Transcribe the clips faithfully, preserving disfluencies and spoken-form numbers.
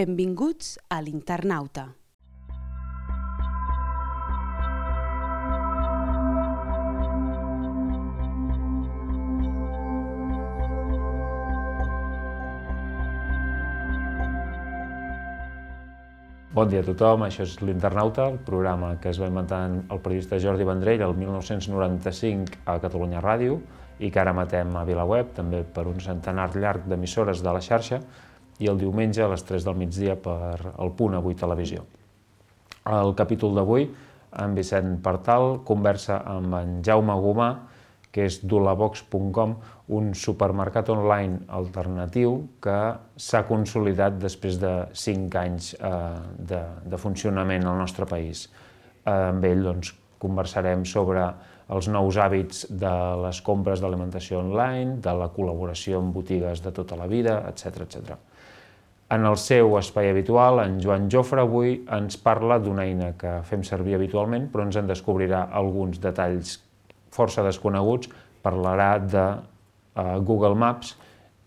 Benvinguts a l'Internauta. Bon dia a tothom, això és l'Internauta, el programa que es va inventar el periodista Jordi Vendrell el mil nou-cents noranta-cinc a Catalunya Ràdio i que ara emetem a VilaWeb, també per un centenar llarg d'emissores de la xarxa, i el diumenge a les tres del migdia per el Punt Avui Televisió. El capítol d'avui, en Vicent Partal conversa amb en Jaume Gomà, que és d'Ulabox punt com, un supermercat online alternatiu que s'ha consolidat després de cinc anys de, de funcionament al nostre país. Amb ell doncs, conversarem sobre els nous hàbits de les compres d'alimentació online, de la col·laboració amb botigues de tota la vida, etcètera, etcètera. En el seu espai habitual, en Joan Jofre avui ens parla d'una eina que fem servir habitualment, però ens en descobrirà alguns detalls força desconeguts. Parlarà de uh, Google Maps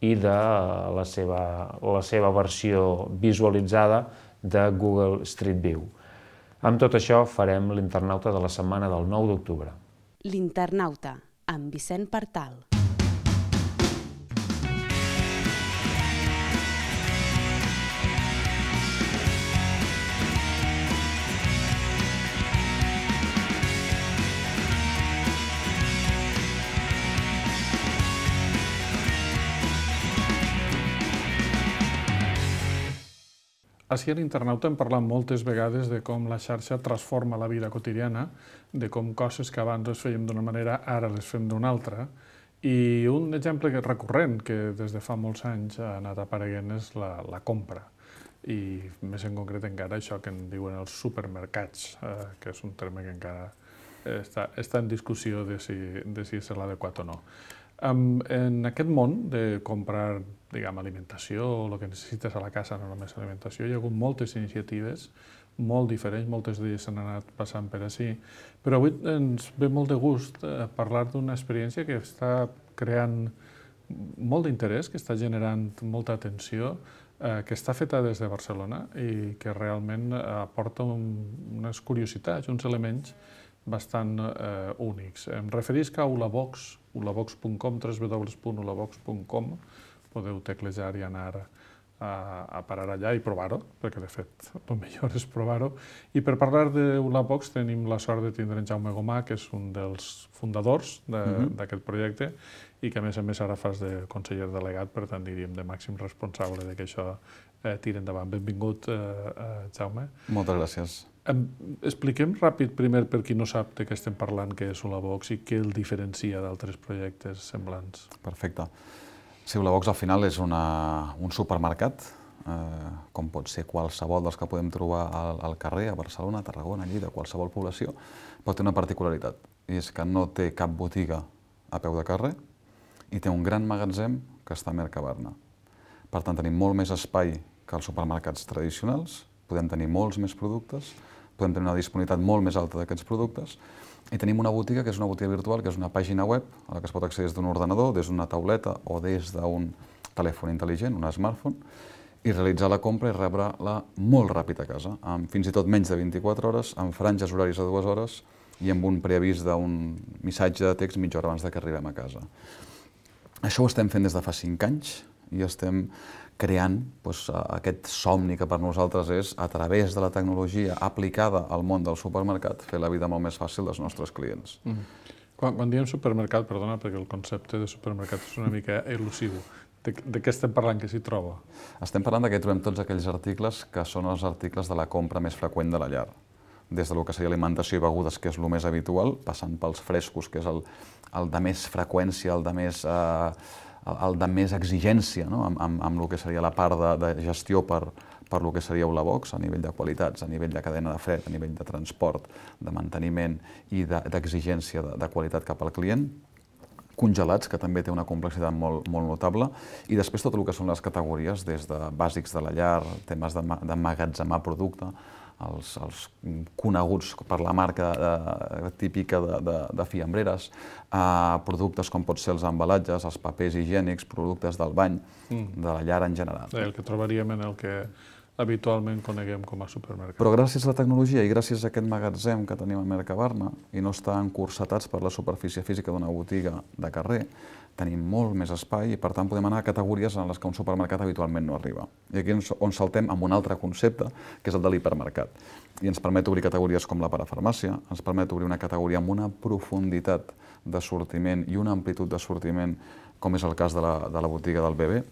i de uh, la, seva, la seva versió visualitzada de Google Street View. Amb tot això farem l'Internauta de la setmana del nou d'octubre. L'Internauta, amb Vicent Partal. Així a l'Internauta hem parlat moltes vegades de com la xarxa transforma la vida quotidiana, de com coses que abans les fèiem d'una manera, ara les fem d'una altra. I un exemple recurrent que des de fa molts anys ha anat apareguent és la, la compra. I més en concret encara això que en diuen els supermercats, eh, que és un terme que encara està, està en discussió de si, de si és l'adequat o no. Um, en aquest món de comprar, diguem, alimentació o el que necessites a la casa, no només alimentació, hi ha hagut moltes iniciatives, molt diferents, moltes d'elles s'han anat passant per ací, però avui ens ve molt de gust eh, parlar d'una experiència que està creant molt d'interès, que està generant molta atenció, eh, que està feta des de Barcelona i que realment aporta un, unes curiositats, uns elements bastant eh, únics. Em referisc a Ulabox, ulabox punt com, w w w punt ulabox punt com. Podeu teclejar i anar a, a parar allà i provar-ho, perquè de fet el millor és provar-ho. I per parlar d'Ulabox tenim la sort de tindre en Jaume Gomà, que és un dels fundadors d'aquest uh-huh. projecte i que a més a més ara fas de conseller delegat, per tant diríem de màxim responsable de que això eh, tiri endavant. Benvingut, eh, eh, Jaume. Moltes gràcies. Expliquem ràpid primer per qui no sap de què estem parlant, què és Ulabox i què el diferencia d'altres projectes semblants. Perfecte. Sí, Ulabox al final és una, un supermercat, eh, com pot ser qualsevol dels que podem trobar al, al carrer, a Barcelona, a Tarragona, a Lleida, a qualsevol població, però té una particularitat, i és que no té cap botiga a peu de carrer i té un gran magatzem que està a Mercabarna. Per tant, tenim molt més espai que els supermercats tradicionals, podem tenir molts més productes, podem tenir una disponibilitat molt més alta d'aquests productes i tenim una botiga que és una botiga virtual, que és una pàgina web a la que es pot accedir des d'un ordenador, des d'una tauleta o des d'un telèfon intel·ligent, un smartphone, i realitzar la compra i rebre-la molt ràpid a casa, amb fins i tot menys de vint-i-quatre hores, amb franges horaris de dues hores i amb un preavís d'un missatge de text mitja hora abans que arribem a casa. Això ho estem fent des de fa cinc anys i estem creant doncs, aquest somni que per nosaltres és, a través de la tecnologia aplicada al món del supermercat, fer la vida molt més fàcil dels nostres clients. Mm. Quan, quan diem supermercat, perdona, perquè el concepte de supermercat és una mica elusiu. De, de què estem parlant, que s'hi troba? Estem parlant que trobem tots aquells articles que són els articles de la compra més freqüent de la llar. Des del que seria alimentació i begudes, que és el més habitual, passant pels frescos, que és el, el de més freqüència, el de més... Eh, el de més exigència, no? amb, amb, amb el que seria la part de, de gestió per, per el que seria Ulabox, a nivell de qualitats, a nivell de cadena de fred, a nivell de transport, de manteniment i d'exigència de, de qualitat cap al client. Congelats, que també té una complexitat molt, molt notable, i després tot el que són les categories, des de bàsics de la llar, temes d'emmagatzemar producte, els, els coneguts per la marca eh, típica de, de, de fiambreres, eh, productes com pot ser els embalatges, els papers higiènics, productes del bany, mm. de la llar en general. El que trobaríem en el que habitualment coneguem com a supermercat. Però gràcies a la tecnologia i gràcies a aquest magatzem que tenim a Mercabarna i no estar encursetats per la superfície física d'una botiga de carrer, tenim molt més espai i per tant podem anar a categories en les que un supermercat habitualment no arriba. I aquí és on saltem amb un altre concepte, que és el de l'hipermercat. I ens permet obrir categories com la parafarmàcia, ens permet obrir una categoria amb una profunditat d'assortiment i una amplitud d'assortiment, com és el cas de la, de la botiga del bebè.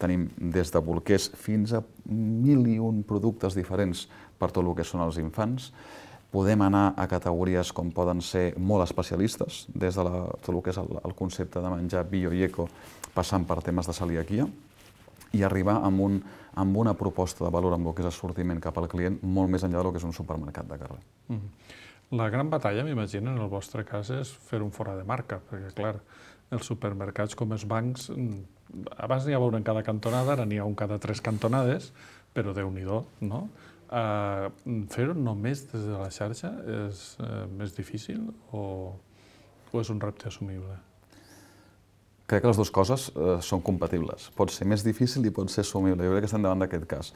Tenim des de bolquers fins a mil i un productes diferents per tot el que són els infants. Podem anar a categories com poden ser molt especialistes, des de la, tot el que és el, el concepte de menjar bio i eco, passant per temes de celiaquia, i arribar amb, un, amb una proposta de valor amb el que és assortiment cap al client molt més enllà del que és un supermercat de carrer. Mm. La gran batalla, m'imagino, en el vostre cas, és fer un fora de marca, perquè, clar, els supermercats com els bancs, abans n'hi havia un en cada cantonada, ara n'hi ha un cada tres cantonades, però Déu-n'hi-do, no? Uh, fer-ho només des de la xarxa és uh, més difícil o, o és un repte assumible? Crec que les dues coses uh, són compatibles. Pot ser més difícil i pot ser assumible. Jo crec que estem davant d'aquest cas.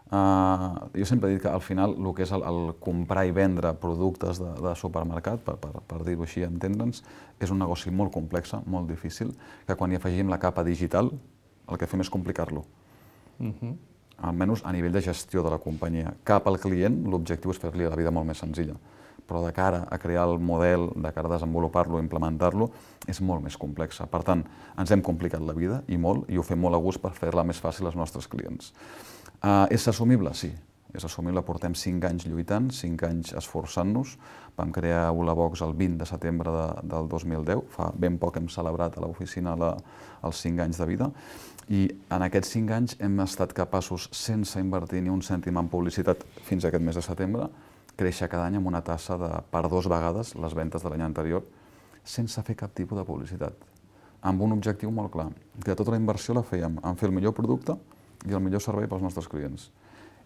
Uh, jo sempre he dit que al final el que és el, el comprar i vendre productes de, de supermercat, per, per, per dir-ho així, entendre'ns, és un negoci molt complex, molt difícil, que quan hi afegim la capa digital, el que fem és complicar-lo. Uh-huh. Almenys a nivell de gestió de la companyia. Cap al client, l'objectiu és fer-li la vida molt més senzilla. Però de cara a crear el model, de cara a desenvolupar-lo, implementar-lo, és molt més complexa. Per tant, ens hem complicat la vida, i molt, i ho fem molt a gust per fer-la més fàcil als nostres clients. Uh, és assumible? Sí. És assumible, portem cinc anys lluitant, cinc anys esforçant-nos. Vam crear Ulabox el vint de setembre de, del dos mil deu, fa ben poc hem celebrat a l'oficina la, els cinc anys de vida, i en aquests cinc anys hem estat capaços, sense invertir ni un cèntim en publicitat fins a aquest mes de setembre, créixer cada any amb una tassa de per dos vegades les ventes de l'any anterior, sense fer cap tipus de publicitat, amb un objectiu molt clar, que tota la inversió la fèiem en fer el millor producte i el millor servei pels nostres clients.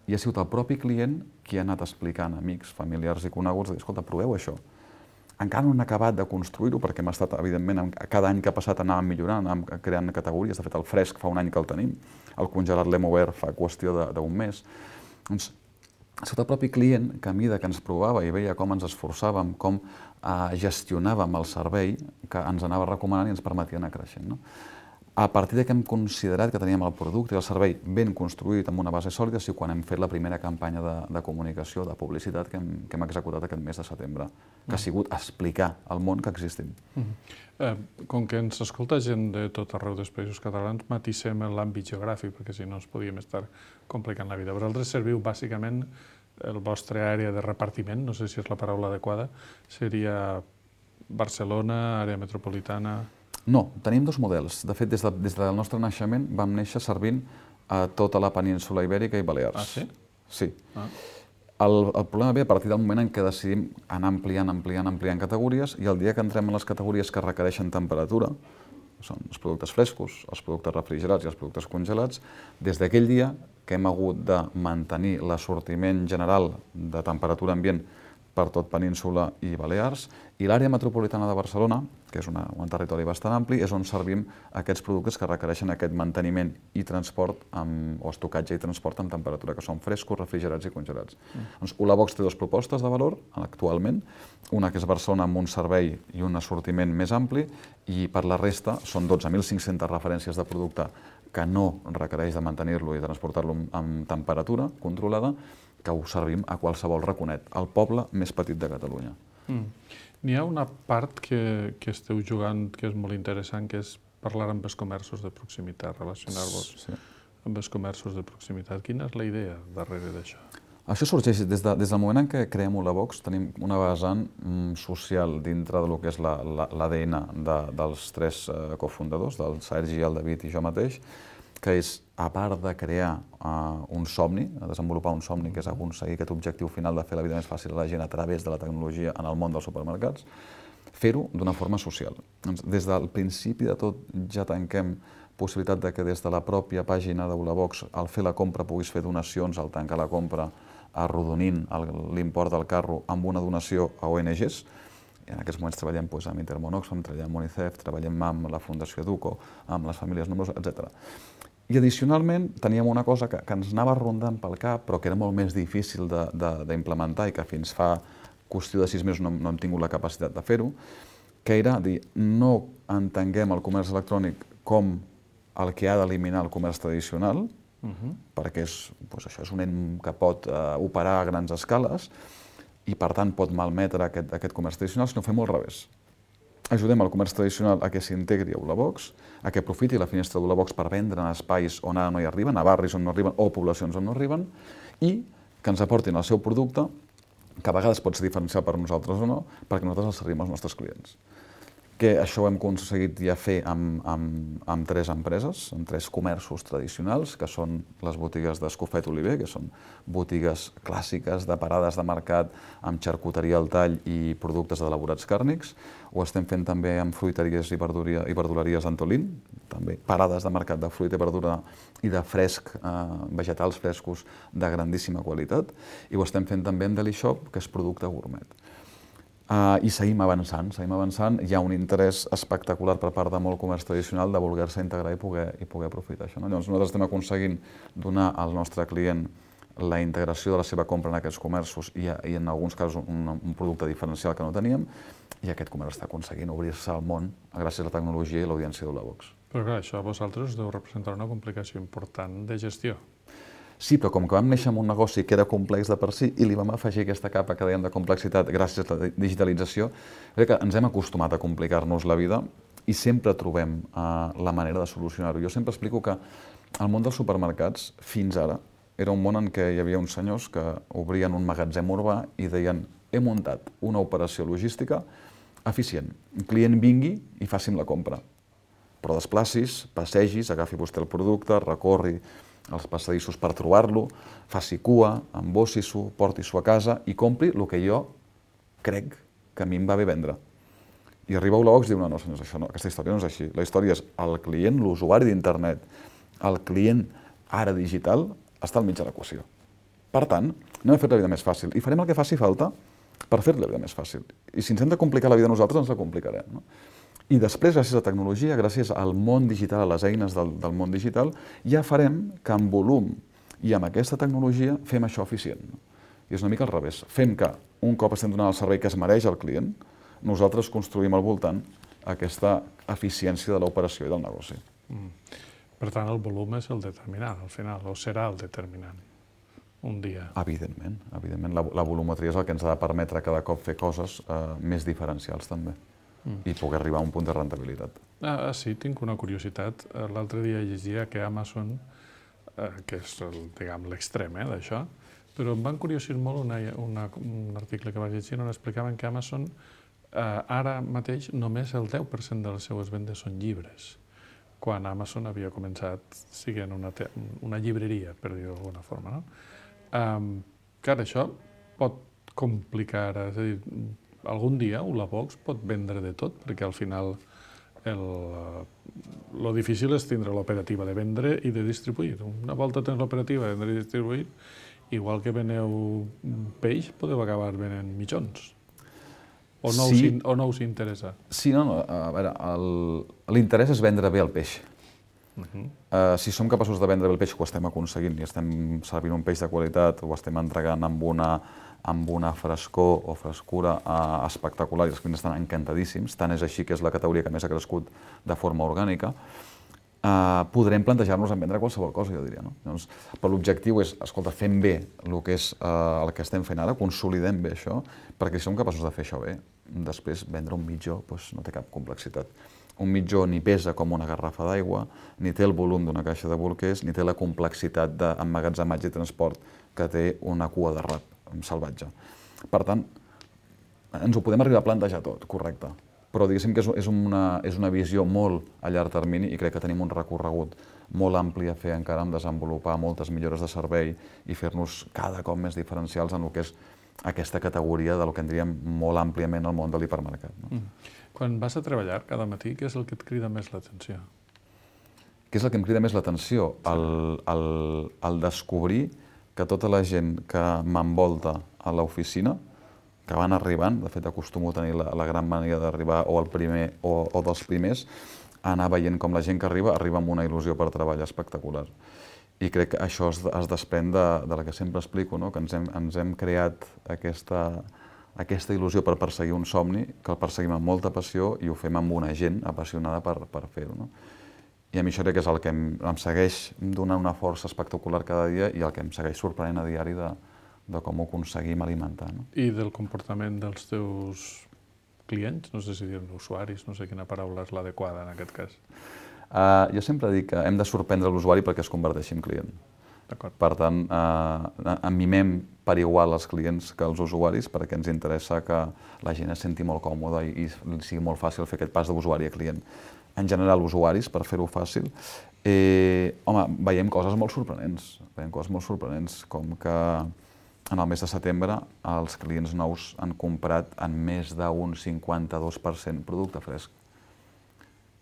I ha sigut el propi client qui ha anat explicant a amics, familiars i coneguts, de dir, escolta, proveu això. Encara no hem acabat de construir-ho, perquè hem estat, evidentment, cada any que ha passat anàvem millorant, anàvem creant categories. De fet, el fresc fa un any que el tenim, el congelat l'hem obert fa qüestió d'un mes. Doncs, ha sigut el propi client que a mesura que ens provava i veia com ens esforçàvem, com eh, gestionàvem el servei, que ens anava recomanant i ens permetia anar creixent. No? A partir de que hem considerat que teníem el producte i el servei ben construït amb una base sòlida, sí quan hem fet la primera campanya de, de comunicació, de publicitat que hem, que hem executat aquest mes de setembre, que ha sigut explicar al món que existim. Mm-hmm. eh, com que ens escolta gent de tot arreu dels països catalans, matissem l'àmbit geogràfic, perquè si no ens podíem estar complicant la vida. Vosaltres serviu bàsicament el vostre àrea de repartiment, no sé si és la paraula adequada, seria Barcelona, àrea metropolitana... No, tenim dos models. De fet, des, de, des del nostre naixement vam néixer servint a tota la península Ibèrica i Balears. Ah, sí? Sí. Ah. El, el problema ve a partir del moment en què decidim anar ampliant, ampliant, ampliant categories, i el dia que entrem en les categories que requereixen temperatura, són els productes frescos, els productes refrigerats i els productes congelats, des d'aquell dia que hem hagut de mantenir l'assortiment general de temperatura ambient per tot Península i Balears, i l'àrea metropolitana de Barcelona, que és una, un territori bastant ampli, és on servim aquests productes que requereixen aquest manteniment i transport, amb, o estocatge i transport amb temperatura, que són frescos, refrigerats i congelats. Mm. Doncs Ulabox té dues propostes de valor, actualment, una que és Barcelona amb un servei i un assortiment més ampli, i per la resta són dotze mil cinc-centes referències de producte que no requereix de mantenir-lo i transportar-lo amb temperatura controlada, que ho servim a qualsevol raconet, al poble més petit de Catalunya. Mm. N'hi ha una part que, que esteu jugant que és molt interessant, que és parlar amb els comerços de proximitat, relacionar-vos sí. amb els comerços de proximitat. Quina és la idea darrere d'això? Això sorgeix des, de, des del moment en què creem Ulabox, tenim una vessant mm, social dintre del que és l'A D N de, dels tres eh, cofundadors, del Sergi, el David i jo mateix, que és, a part de crear uh, un somni, de desenvolupar un somni, que és aconseguir aquest objectiu final de fer la vida més fàcil a la gent a través de la tecnologia en el món dels supermercats, fer-ho d'una forma social. Doncs, des del principi de tot ja tanquem possibilitat de que des de la pròpia pàgina d'Ulabox, al fer la compra, puguis fer donacions, al tancar la compra, arrodonint l'import del carro amb una donació a O N Ges. I en aquests moments treballem doncs, amb Intermón Oxfam, treballem amb UNICEF, treballem amb la Fundació Educo, amb les famílies nombroses, etcètera. I addicionalment teníem una cosa que, que ens anava rondant pel cap, però que era molt més difícil d'implementar i que fins fa qüestió de sis mesos no, no hem tingut la capacitat de fer-ho, que era dir, no entenguem el comerç electrònic com el que ha d'eliminar el comerç tradicional, uh-huh. perquè és, doncs això és un ent que pot uh, operar a grans escales i per tant pot malmetre aquest, aquest comerç tradicional, sinó fem al revés. Ajudem el comerç tradicional a que s'integri a Ulabox, a que aprofiti la finestra d'Ulabox per vendre en espais on ara no hi arriben, a barris on no arriben o poblacions on no arriben, i que ens aportin el seu producte, que a vegades pot ser diferencial per nosaltres o no, perquè nosaltres el servim als nostres clients. Que això ho hem aconseguit ja fer amb, amb, amb tres empreses, amb tres comerços tradicionals, que són les botigues d'Escofet Oliver, que són botigues clàssiques de parades de mercat amb xarcuteria al tall i productes d'elaborats càrnics. Ho estem fent també amb fruiteries i, verduria, i verduleries Antolín, també parades de mercat de fruita i verdura i de fresc, eh, vegetals frescos de grandíssima qualitat. I ho estem fent també amb Deli Shop, que és producte gourmet. Uh, I seguim avançant, seguim avançant. Hi ha un interès espectacular per part de molt comerç tradicional de voler-se integrar i poder, i poder aprofitar això. No? Llavors nosaltres estem aconseguint donar al nostre client la integració de la seva compra en aquests comerços i, i en alguns casos un, un producte diferencial que no teníem, i aquest comerç està aconseguint obrir-se al món gràcies a la tecnologia i l'audiència d'Ulabox. Però clar, això a vosaltres us deu representar una complicació important de gestió. Sí, però com que vam néixer en un negoci que era complex de per si i li vam afegir aquesta capa que dèiem de complexitat gràcies a la digitalització, crec que ens hem acostumat a complicar-nos la vida i sempre trobem uh, la manera de solucionar-ho. Jo sempre explico que el món dels supermercats, fins ara, era un món en què hi havia uns senyors que obrien un magatzem urbà i deien he muntat una operació logística eficient. Un client vingui i faci'm la compra. Però desplacis, passegis, agafi vostè el producte, recorri els passadissos per trobar-lo, faci cua, embossi-s'ho, porti-s'ho a casa i compri el que jo crec que a mi em va bé vendre. I arriba a Ulabox i diu, no, no, senyors, això no, aquesta història no és així. La història és el client, l'usuari d'internet, el client ara digital, està al mig de l'equació. Per tant, anem a fer la vida més fàcil i farem el que faci falta per fer la vida més fàcil. I si ens hem de complicar la vida nosaltres, ens la complicarem. No? I després, gràcies a la tecnologia, gràcies al món digital, a les eines del, del món digital, ja farem que en volum i amb aquesta tecnologia fem això eficient. No? I és una mica al revés. Fem que, un cop estem donant el servei que es mereix al client, nosaltres construïm al voltant aquesta eficiència de l'operació i del negoci. Mm. Per tant, el volum és el determinant, al final, o serà el determinant, un dia. Evidentment, evidentment. La, la volumetria és el que ens ha de permetre cada cop fer coses eh, més diferencials, també. Mm. I poder arribar a un punt de rendibilitat. Ah, sí, tinc una curiositat. L'altre dia llegia que Amazon, eh, que és l'extrem eh, d'això, però em van curiosir molt una, una, un article que vaig llegir on explicaven que Amazon eh, ara mateix només el deu per cent de les seues vendes són llibres, quan Amazon havia començat sent una, una llibreria, per dir-ho d'alguna forma. No? Um, clar, això pot complicar, és a dir, algun dia Ulabox pot vendre de tot, perquè al final el, lo difícil és tindre l'operativa de vendre i de distribuir. Una volta tens l'operativa de vendre i distribuir, igual que veneu peix, podeu acabar venent mitjons. O no, sí. us, o no us interessa? Sí, no, no. A veure, l'interès és vendre bé el peix. Uh -huh. uh, si som capaços de vendre bé el peix, ho estem aconseguint i estem servint un peix de qualitat, ho estem entregant amb una, amb una frescor o frescura uh, espectacular i els clients estan encantadíssims, tant és així que és la categoria que més ha crescut de forma orgànica, uh, podrem plantejar-nos en vendre qualsevol cosa, jo diria. No? Llavors, però l'objectiu és, escolta, fem bé el que és uh, el que estem fent ara, consolidem bé això, perquè si som capaços de fer això bé, després vendre un mitjó doncs, no té cap complexitat. Un mitjó ni pesa com una garrafa d'aigua, ni té el volum d'una caixa de bolquers, ni té la complexitat d'emmagatzematge i transport que té una cua de rap salvatge. Per tant, ens ho podem arribar a plantejar tot, correcte. Però diguéssim que és una, és una visió molt a llarg termini i crec que tenim un recorregut molt ampli a fer encara en desenvolupar moltes millores de servei i fer-nos cada cop més diferencials en el que és aquesta categoria del que en diríem molt àmpliament el món de l'hipermercat. No? Mm. Quan vas a treballar cada matí, què és el que et crida més l'atenció? Què és el que em crida més l'atenció? El, el, el descobrir que tota la gent que m'envolta a l'oficina, que van arribant, de fet acostumo a tenir la, la gran mania d'arribar o el primer o, o dels primers, anar veient com la gent que arriba, arriba amb una il·lusió per treballar espectacular. I crec que això es, es desprèn de, de la que sempre explico, no? Que ens hem, ens hem creat aquesta, aquesta il·lusió per perseguir un somni, que el perseguim amb molta passió i ho fem amb una gent apassionada per, per fer-ho. No? I a mi això crec que és el que em, em segueix donant una força espectacular cada dia i el que em segueix sorprenent a diari de, de com ho aconseguim alimentar. No? I del comportament dels teus clients, no sé si dir usuaris, no sé quina paraula és l'adequada en aquest cas. Uh, jo sempre dic que hem de sorprendre l'usuari perquè es converteixi en client. Per tant, uh, en mimem per igual els clients que els usuaris perquè ens interessa que la gent es senti molt còmoda i, i sigui molt fàcil fer aquest pas d'usuari a client. En general, usuaris, per fer-ho fàcil, eh, home, veiem coses molt sorprenents, veiem coses molt sorprenents, com que en el mes de setembre els clients nous han comprat en més d'un cinquanta-dos per cent producte fresc.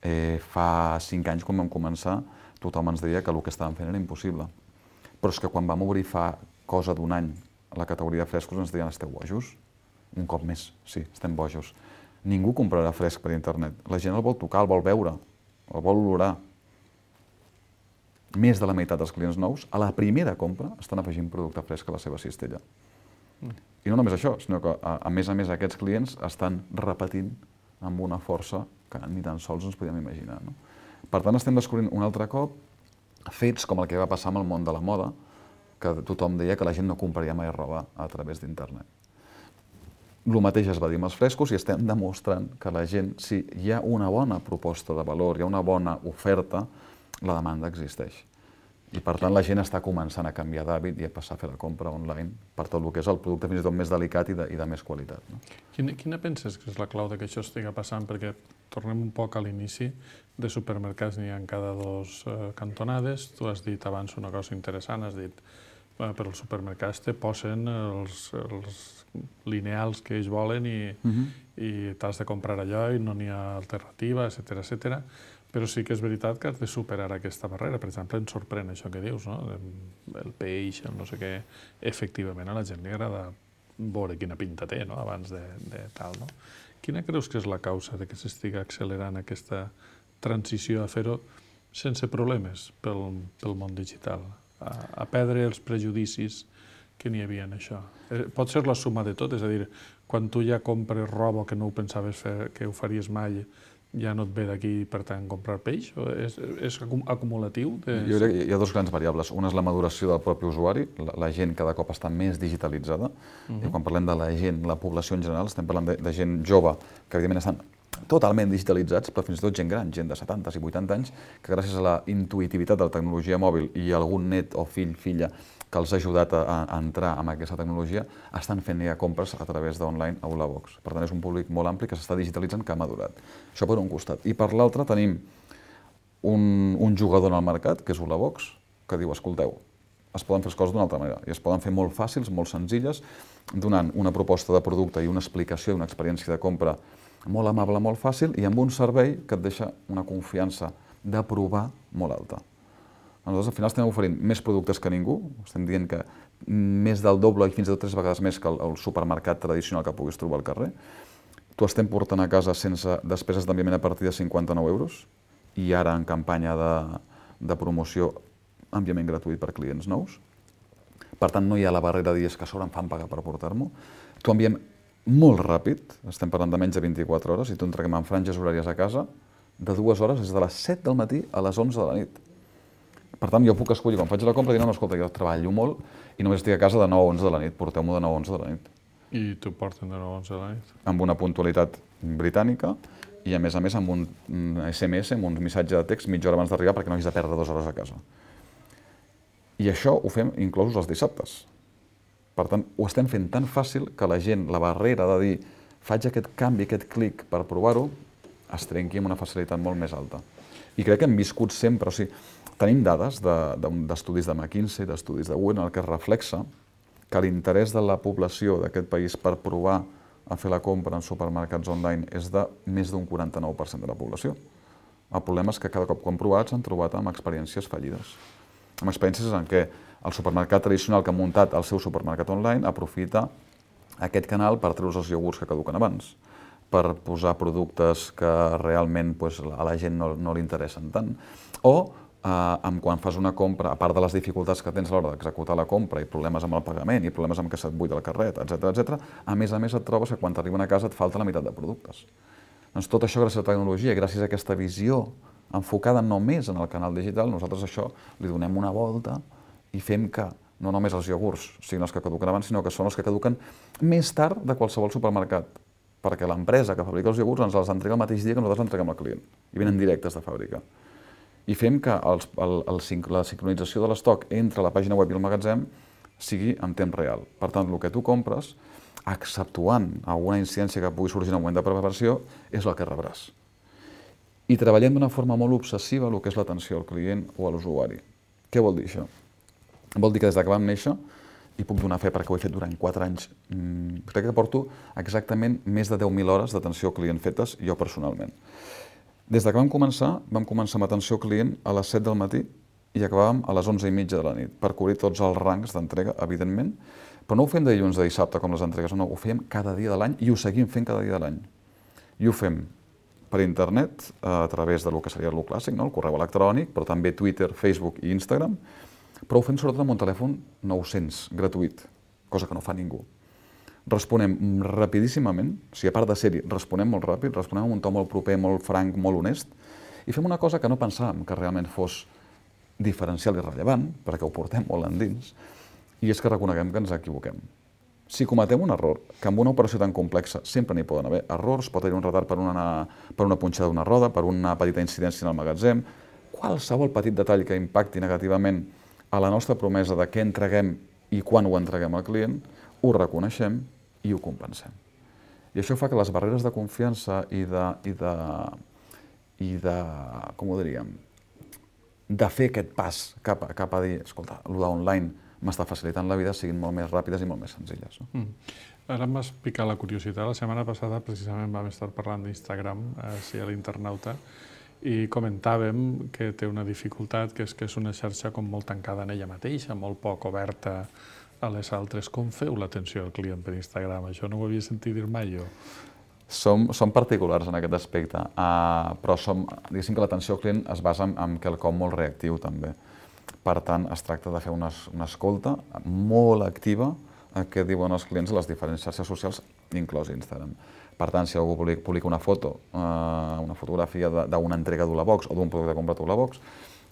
Eh, fa cinc anys, quan vam començar, tothom ens deia que el que estàvem fent era impossible. Però és que quan vam obrir fa cosa d'un any la categoria de frescos ens deien esteu bojos? Un cop més, sí, estem bojos. Ningú comprarà fresc per internet. La gent el vol tocar, el vol veure, el vol olorar. Més de la meitat dels clients nous, a la primera compra, estan afegint producte fresc a la seva cistella. Mm. I no només això, sinó que a, a més a més aquests clients estan repetint amb una força que ni tan sols ens podíem imaginar. No? Per tant, estem descobrint un altre cop fets com el que va passar amb el món de la moda, que tothom deia que la gent no compraria mai roba a través d'internet. El mateix es va dir amb els frescos i estem demostrant que la gent, si hi ha una bona proposta de valor, hi ha una bona oferta, la demanda existeix. I per tant la gent està començant a canviar d'hàbit i a passar a fer la compra online per tot el que és el producte fins i tot més delicat i de, i de més qualitat. No? Quina, quina penses que és la clau de que això estigui passant? Perquè tornem un poc a l'inici, de supermercats n'hi ha en cada dos eh, cantonades. Tu has dit abans una cosa interessant, has dit eh, per als supermercats te posen els, els lineals que ells volen i, uh-huh. i t'has de comprar allò i no n'hi ha alternativa, etcètera, etcètera. Però sí que és veritat que has de superar aquesta barrera. Per exemple, ens sorprèn això que dius, no? El peix, el no sé què. Efectivament, a la gent li agrada veure quina pinta té, no? Abans de, de tal, no? Quina creus que és la causa de que s'estigui accelerant aquesta transició a fer-ho sense problemes pel, pel món digital? A, a perdre els prejudicis que n'hi havia en això. Pot ser la suma de tot, és a dir, quan tu ja compres roba que no ho pensaves fer, que ho faries mai, ja no et ve d'aquí, per tant, comprar peix? O és, és acumulatiu? De... Jo crec que hi ha dues grans variables. Una és la maduració del propi usuari, la, la gent cada cop està més digitalitzada. Uh-huh. I quan parlem de la gent, la població en general, estem parlant de, de gent jove, que evidentment estan totalment digitalitzats, però fins i tot gent gran, gent de setanta i vuitanta anys, que gràcies a la intuïtivitat de la tecnologia mòbil i algun net o fill, filla, que els ha ajudat a, a entrar en aquesta tecnologia, estan fent ja compres a través d'online a Ulabox. Per tant, és un públic molt ampli que s'està digitalitzant, que ha madurat. Això per un costat. I per l'altre tenim un, un jugador en el mercat, que és Ulabox, que diu, escolteu, es poden fer les coses d'una altra manera, i es poden fer molt fàcils, molt senzilles, donant una proposta de producte i una explicació i una experiència de compra molt amable, molt fàcil, i amb un servei que et deixa una confiança de provar molt alta. Nosaltres al final estem oferint més productes que ningú, estem dient que més del doble i fins i tot tres vegades més que el, el supermercat tradicional que puguis trobar al carrer. T'ho estem portant a casa sense despeses d'enviament a partir de cinquanta-nou euros i ara en campanya de, de promoció enviament gratuït per clients nous. Per tant, no hi ha la barrera de dir que a sobre em fan pagar per portar-m'ho. T'ho enviem molt ràpid, estem parlant de menys de vint-i-quatre hores, i t'ho entreguem en franges horàries a casa de dues hores, des de les set del matí a les onze de la nit. Per tant, jo puc escollir, quan faig la compra, dir, no, escolta, jo treballo molt i només estic a casa de nou a onze de la nit, porteu-m'ho de nou a onze de la nit. I t'ho porten de nou a onze de la nit? Amb una puntualitat britànica i, a més a més, amb un esse eme esse, amb un missatge de text mitja hora abans d'arribar perquè no hagis de perdre dues hores a casa. I això ho fem inclosos els dissabtes. Per tant, ho estem fent tan fàcil que la gent, la barrera de dir faig aquest canvi, aquest clic per provar-ho, es trenqui amb una facilitat molt més alta. I crec que hem viscut sempre, o sigui, tenim dades d'estudis de, de McKinsey, d'estudis de Win, en el que es reflexa que l'interès de la població d'aquest país per provar a fer la compra en supermercats online és de més d'un quaranta-nou per cent de la població. El problema és que cada cop que ho han provat s'han trobat amb experiències fallides. Amb experiències en què el supermercat tradicional que ha muntat el seu supermercat online aprofita aquest canal per treure's els iogurts que caduquen abans. per posar productes que realment a la gent no li interessen tant. O quan fas una compra, a part de les dificultats que tens a l'hora d'executar la compra i problemes amb el pagament i problemes amb que se't buida el carret, etcètera, etcètera, a més a més et trobes que quan t'arriben a casa et falta la meitat de productes. Doncs tot això gràcies a la tecnologia i gràcies a aquesta visió enfocada només en el canal digital, nosaltres això li donem una volta i fem que no només els iogurts siguin els que caduquen abans, sinó que són els que caduquen més tard de qualsevol supermercat, perquè l'empresa que fabrica els iogurts ens els entrega el mateix dia que nosaltres l'entreguem al client i venen directes de fàbrica. I fem que la sincronització de l'estoc entre la pàgina web i el magatzem sigui en temps real. Per tant, el que tu compres, exceptuant alguna incidència que pugui sorgir en el moment de preparació, és el que rebràs. I treballem d'una forma molt obsessiva el que és l'atenció al client o a l'usuari. Què vol dir això? Vol dir que des que vam néixer, i puc donar fe perquè ho he fet durant quatre anys, crec que porto exactament més de deu mil hores d'atenció al client fetes jo personalment. Des que vam començar, vam començar amb atenció al client a les set del matí i acabàvem a les onze i mitja de la nit, per cobrir tots els rangs d'entrega, evidentment, però no ho fem de dilluns a dissabte com les entregues, no, ho fem cada dia de l'any i ho seguim fent cada dia de l'any. I ho fem per internet, a través del que seria el clàssic, el correu electrònic, però també Twitter, Facebook i Instagram, però ho fem sobretot amb un telèfon nou-cents, gratuït, cosa que no fa ningú. Responem rapidíssimament, o sigui, a part de ser-hi, responem molt ràpid, responem amb un to molt proper, molt franc, molt honest, i fem una cosa que no pensàvem que realment fos diferencial i rellevant, perquè ho portem molt endins, i és que reconeguem que ens equivoquem. Si cometem un error, que amb una operació tan complexa sempre n'hi poden haver errors, pot haver un retard per una, per una punxada d'una roda, per una petita incidència en el magatzem, qualsevol petit detall que impacti negativament a la nostra promesa de què entreguem i quan ho entreguem al client, ho reconeixem i ho compensem. I això fa que les barreres de confiança i de, i de, i de com ho diríem, de fer aquest pas cap a, cap a dir, escolta, el d'online m'està facilitant la vida, siguin molt més ràpides i molt més senzilles. No? Mm. Ara m'has picat la curiositat. La setmana passada precisament vam estar parlant d'Instagram, així a l'Internauta, i comentàvem que té una dificultat, que és que és una xarxa com molt tancada en ella mateixa, molt poc oberta a les altres. Com feu l'atenció al client per Instagram? Això no ho havia sentit dir mai jo. Som, som particulars en aquest aspecte, uh, però som, diguéssim que l'atenció al client es basa en, en quelcom molt reactiu també. Per tant, es tracta de fer una, una escolta molt activa a què diuen els clients a les diferents xarxes socials, inclòs Instagram. Per tant, si algú publica una foto, uh, una fotografia d'una entrega d'Ulabox o d'un producte comprat a Ulabox,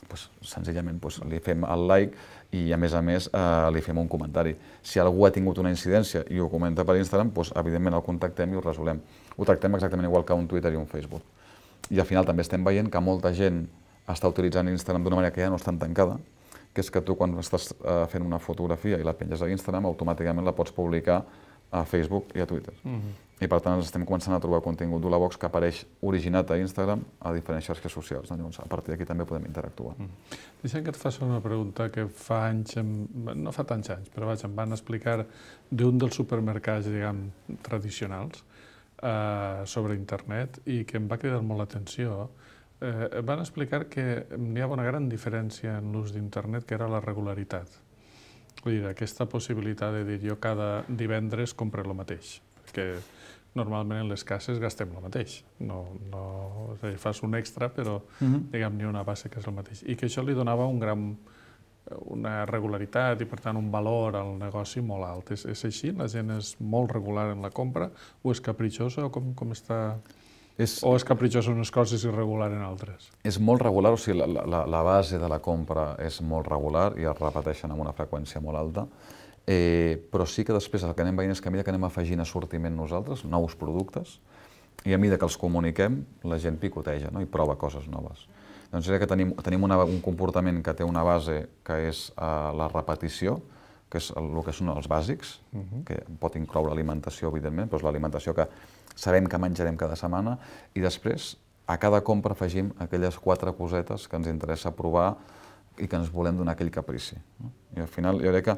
pues, senzillament pues, li fem el like i, a més a més, eh, li fem un comentari. Si algú ha tingut una incidència i ho comenta per Instagram, pues, evidentment el contactem i ho resolem. Ho tractem exactament igual que un Twitter i un Facebook. I al final també estem veient que molta gent està utilitzant Instagram d'una manera que ja no és tan tancada, que és que tu quan estàs eh, fent una fotografia i la penges a Instagram, automàticament la pots publicar a Facebook i a Twitter. Mm-hmm. I per tant estem començant a trobar contingut d'Ulabox que apareix originat a Instagram a diferents xarxes socials. No? Llavors, a partir d'aquí també podem interactuar. Mm. Deixa'm que et faci una pregunta que fa anys, no fa tants anys, però vaja, em van explicar d'un dels supermercats, diguem, tradicionals eh, sobre internet i que em va cridar molt l'atenció. Eh, van explicar que n'hi ha una gran diferència en l'ús d'internet, que era la regularitat. Vull dir, aquesta possibilitat de dir jo cada divendres compro el mateix, perquè normalment en les cases gastem el mateix. No, no, és a dir, fas un extra, però uh-huh. diguem, ni una base que és el mateix. I que això li donava un gran, una regularitat i, per tant, un valor al negoci molt alt. És, és així? La gent és molt regular en la compra? O és capritxosa? O com, com està... És, o és capritxosa en unes coses i irregular en altres? És molt regular, o sigui, la, la, la base de la compra és molt regular i es repeteixen amb una freqüència molt alta. Eh, però sí que després el que anem veient és que a mesura que anem afegint assortiment nosaltres, nous productes, i a mesura que els comuniquem, la gent picoteja, no? I prova coses noves. Doncs és que tenim, tenim una, un comportament que té una base que és uh, la repetició, que és el, el que són els bàsics, uh-huh. que pot incloure alimentació, evidentment, però és l'alimentació que sabem que menjarem cada setmana, i després a cada compra afegim aquelles quatre cosetes que ens interessa provar i que ens volem donar aquell caprici. No? I al final jo crec que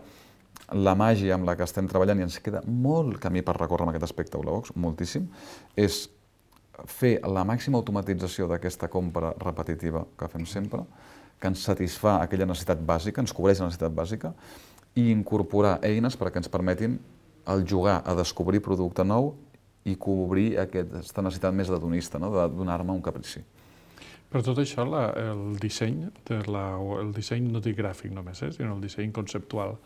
la màgia amb la que estem treballant, i ens queda molt camí per recórrer en aquest aspecte a Ulabox, moltíssim, és fer la màxima automatització d'aquesta compra repetitiva que fem sempre, que ens satisfà aquella necessitat bàsica, ens cobreix la necessitat bàsica, i incorporar eines perquè ens permetin el jugar a descobrir producte nou i cobrir aquesta necessitat més hedonista, no? De donar-me un caprici. Per tot això, la, el disseny, de la, el disseny no dic gràfic només, eh, sinó el disseny conceptual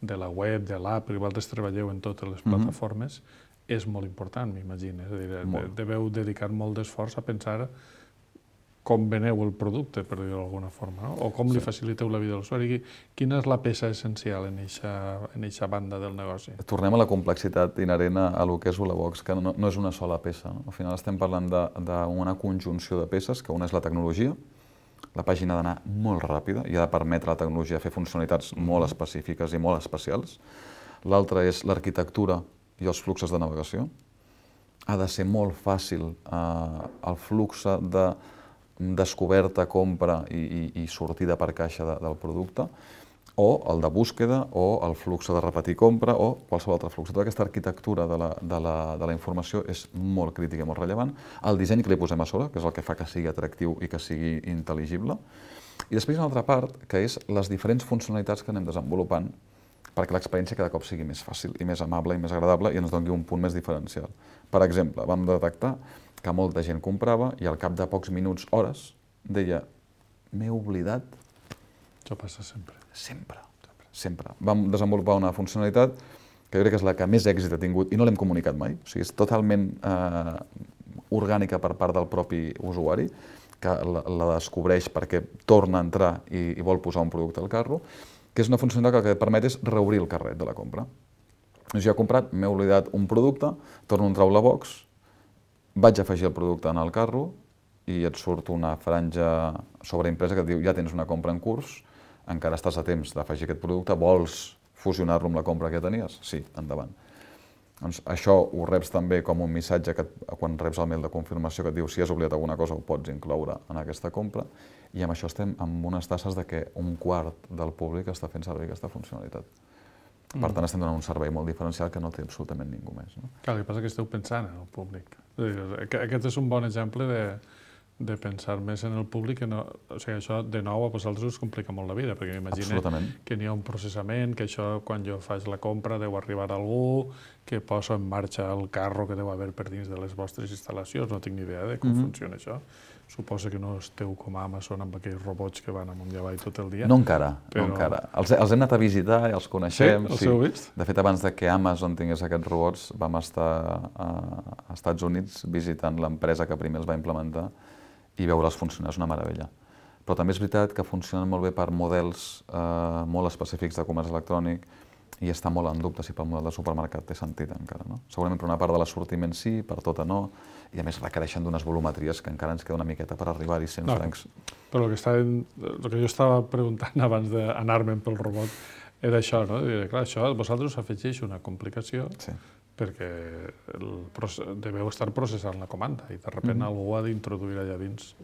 de la web, de l'app, perquè vosaltres treballeu en totes les plataformes, mm-hmm. és molt important, m'imagino. És a dir, de, deveu dedicar molt d'esforç a pensar com veneu el producte, per dir-ho d'alguna forma, no? O com sí. li faciliteu la vida a l'usuari. Quina és la peça essencial en aquesta banda del negoci? Tornem a la complexitat inherent a lo que és Ulabox, que no, no és una sola peça. No? Al final estem parlant d'una conjunció de peces, que una és la tecnologia. La pàgina ha d'anar molt ràpida i ha de permetre a la tecnologia fer funcionalitats molt específiques i molt especials. L'altra és l'arquitectura i els fluxos de navegació. Ha de ser molt fàcil eh, el flux de descoberta, compra i, i, i sortida per caixa de, del producte, o el de búsqueda, o el flux de repetir compra, o qualsevol altre flux. Tota aquesta arquitectura de la, de la, de la informació és molt crítica i molt rellevant. El disseny que li posem a sobre, que és el que fa que sigui atractiu i que sigui intel·ligible. I després una altra part, que és les diferents funcionalitats que anem desenvolupant perquè l'experiència cada cop sigui més fàcil i més amable i més agradable i ens doni un punt més diferencial. Per exemple, vam detectar que molta gent comprava i al cap de pocs minuts, hores, deia m'he oblidat. Això passa sempre. Sempre, sempre. Vam desenvolupar una funcionalitat que jo crec que és la que més èxit ha tingut i no l'hem comunicat mai. O sigui, és totalment eh, orgànica per part del propi usuari, que la, la descobreix perquè torna a entrar i, i vol posar un producte al carro, que és una funcionalitat que el que et permet és reobrir el carret de la compra. Jo he comprat, m'he oblidat un producte, torno a entrar a Ulabox, vaig afegir el producte en el carro i et surt una franja sobreimpresa que et diu ja tens una compra en curs, encara estàs a temps d'afegir aquest producte, vols fusionar-lo amb la compra que tenies? Sí, endavant. Doncs això ho reps també com un missatge que quan reps el mail de confirmació que et diu si has oblidat alguna cosa ho pots incloure en aquesta compra i amb això estem amb unes tasses de que un quart del públic està fent servir aquesta funcionalitat. Per tant, estem donant un servei molt diferencial que no té absolutament ningú més. No? Clar, el que passa és que esteu pensant en el públic. Aquest és un bon exemple de, de pensar més en el públic. Que no, o sigui, això, de nou, a vosaltres us complica molt la vida, perquè m'imagino que n'hi ha un processament, que això, quan jo faig la compra, deu arribar a algú, que poso en marxa el carro que deu haver per dins de les vostres instal·lacions. No tinc ni idea de com mm-hmm. funciona això. Suposo que no esteu com a Amazon amb aquells robots que van amunt i avall tot el dia. No encara, però... no encara. Els, els hem anat a visitar i els coneixem. Sí? Els heu vist? De fet, abans de que Amazon tingués aquests robots, vam estar a, a Estats Units visitant l'empresa que primer els va implementar i veure'ls funcionar és una meravella. Però també és veritat que funcionen molt bé per models eh, molt específics de comerç electrònic i està molt en dubte si pel model de supermercat té sentit encara. No? Segurament per una part de l'assortiment sí, per tota no, i a més requereixen d'unes volumetries que encara ens queda una miqueta per arribar-hi cent no, francs. Però el que, estava, el que jo estava preguntant abans d'anar-me'n pel robot era això, no? Dir, clar, això a vosaltres us afegeix una complicació sí. perquè el, deveu estar processant la comanda i de sobte mm-hmm. algú ha d'introduir allà dins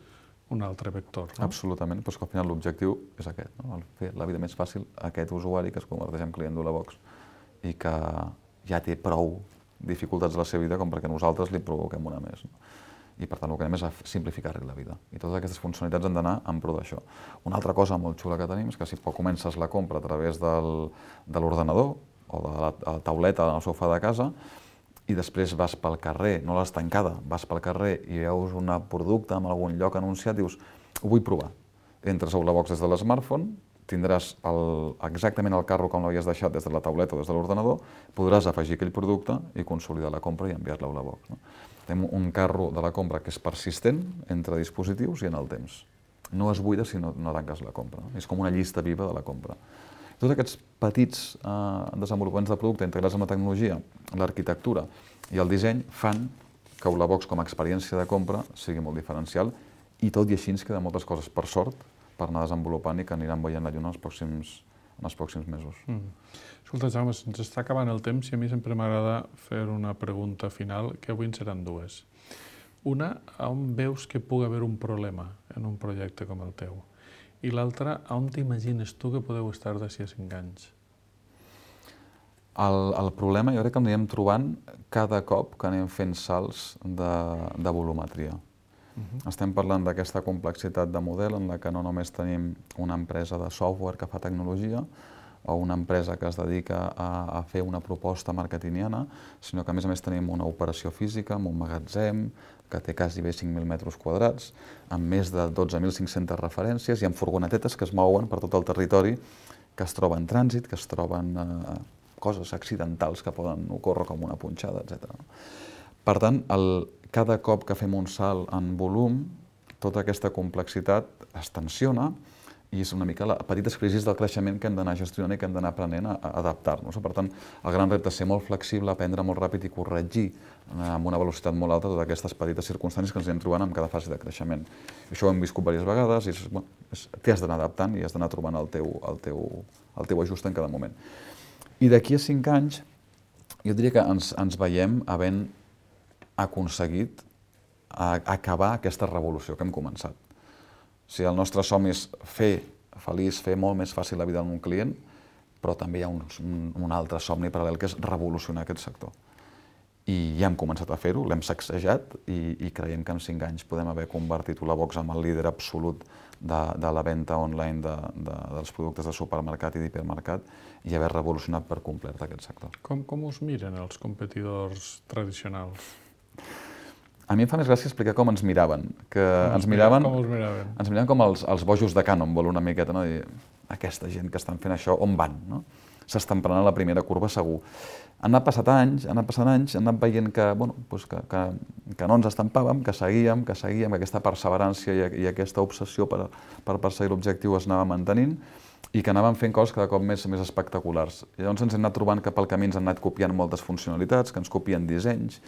un altre vector. No? Absolutament, però és que al final l'objectiu és aquest, no? Fer la vida més fàcil a aquest usuari que es converteix en client d'Ulabox i que ja té prou dificultats a la seva vida com perquè nosaltres li provoquem una més. No? I per tant el que anem és a simplificar-li la vida. I totes aquestes funcionalitats han d'anar en pro d'això. Una altra cosa molt xula que tenim és que si comences la compra a través del, de l'ordenador o de la, la tauleta al sofà de casa i després vas pel carrer, no l'has tancada, vas pel carrer i veus un producte en algun lloc anunciat, dius, ho vull provar. Entres a Ulabox des de l'smartphone, tindràs el, exactament el carro com l'havies deixat des de la tauleta o des de l'ordenador, podràs afegir aquell producte i consolidar la compra i enviar-la a Ulabox. No? Tenim un carro de la compra que és persistent entre dispositius i en el temps. No es buida si no, no tanques la compra. No? És com una llista viva de la compra. Tots aquests petits eh, desenvolupaments de producte integrats amb la tecnologia, l'arquitectura i el disseny fan que Ulabox com a experiència de compra sigui molt diferencial i tot i així ens queden moltes coses, per sort, per anar desenvolupant i que aniran veient la lluna en els pròxims, en els pròxims mesos. Mm. Escolta, Jaume, se'ns està acabant el temps i a mi sempre m'agrada fer una pregunta final, que avui en seran dues. Una, on veus que pugui haver un problema en un projecte com el teu? I l'altra, on t'imagines tu que podeu estar d'ací a cinc anys? El, el problema jo crec que el anirem trobant cada cop que anem fent salts de, de volumetria. Uh-huh. Estem parlant d'aquesta complexitat de model en la que no només tenim una empresa de software que fa tecnologia, o una empresa que es dedica a, a fer una proposta marketingiana, sinó que a més a més tenim una operació física amb un magatzem que té quasi bé cinc mil metres quadrats, amb més de dotze mil cinc-centes referències i amb furgonetetes que es mouen per tot el territori, que es troben en trànsit, que es troben eh, coses accidentals que poden ocórrer com una punxada, etcètera. Per tant, el, cada cop que fem un salt en volum, tota aquesta complexitat es tensiona i és una mica les petites crisis del creixement que hem d'anar gestionant i que hem d'anar aprenent a, a adaptar-nos. Per tant, el gran repte és ser molt flexible, aprendre molt ràpid i corregir amb una velocitat molt alta totes aquestes petites circumstàncies que ens anem trobant en cada fase de creixement. Això ho hem viscut diverses vegades i és, bueno, és, t'hi has d'anar adaptant i has d'anar trobant el teu, el, teu, el teu ajust en cada moment. I d'aquí a cinc anys, jo diria que ens, ens veiem havent aconseguit a acabar aquesta revolució que hem començat. Si el nostre somni és fer feliç, fer molt més fàcil la vida d'un client, però també hi ha un, un altre somni paral·lel que és revolucionar aquest sector. I ja hem començat a fer-ho, l'hem sacsejat i, i creiem que en cinc anys podem haver convertit Ulabox en el líder absolut de, de la venda online de, de, dels productes de supermercat i d'hipermercat i haver revolucionat per complet aquest sector. Com, com us miren els competidors tradicionals? A mi em fa més gràcia explicar com ens miraven, que ens miraven, com us miraven? Ens miraven com els, els bojos de Cannonball una miqueta, no? Dir, aquesta gent que estan fent això, on van? No? S'estan prenent la primera curva segur. Han anat passat anys, han anat passant anys, han anat veient que, bueno, doncs que, que, que no ens estampàvem, que seguíem, que seguíem, que aquesta perseverància i, i aquesta obsessió per, per perseguir l'objectiu es anava mantenint i que anàvem fent coses cada cop més, més espectaculars. I llavors ens hem anat trobant que pel camí ens han anat copiant moltes funcionalitats, que ens copien dissenys,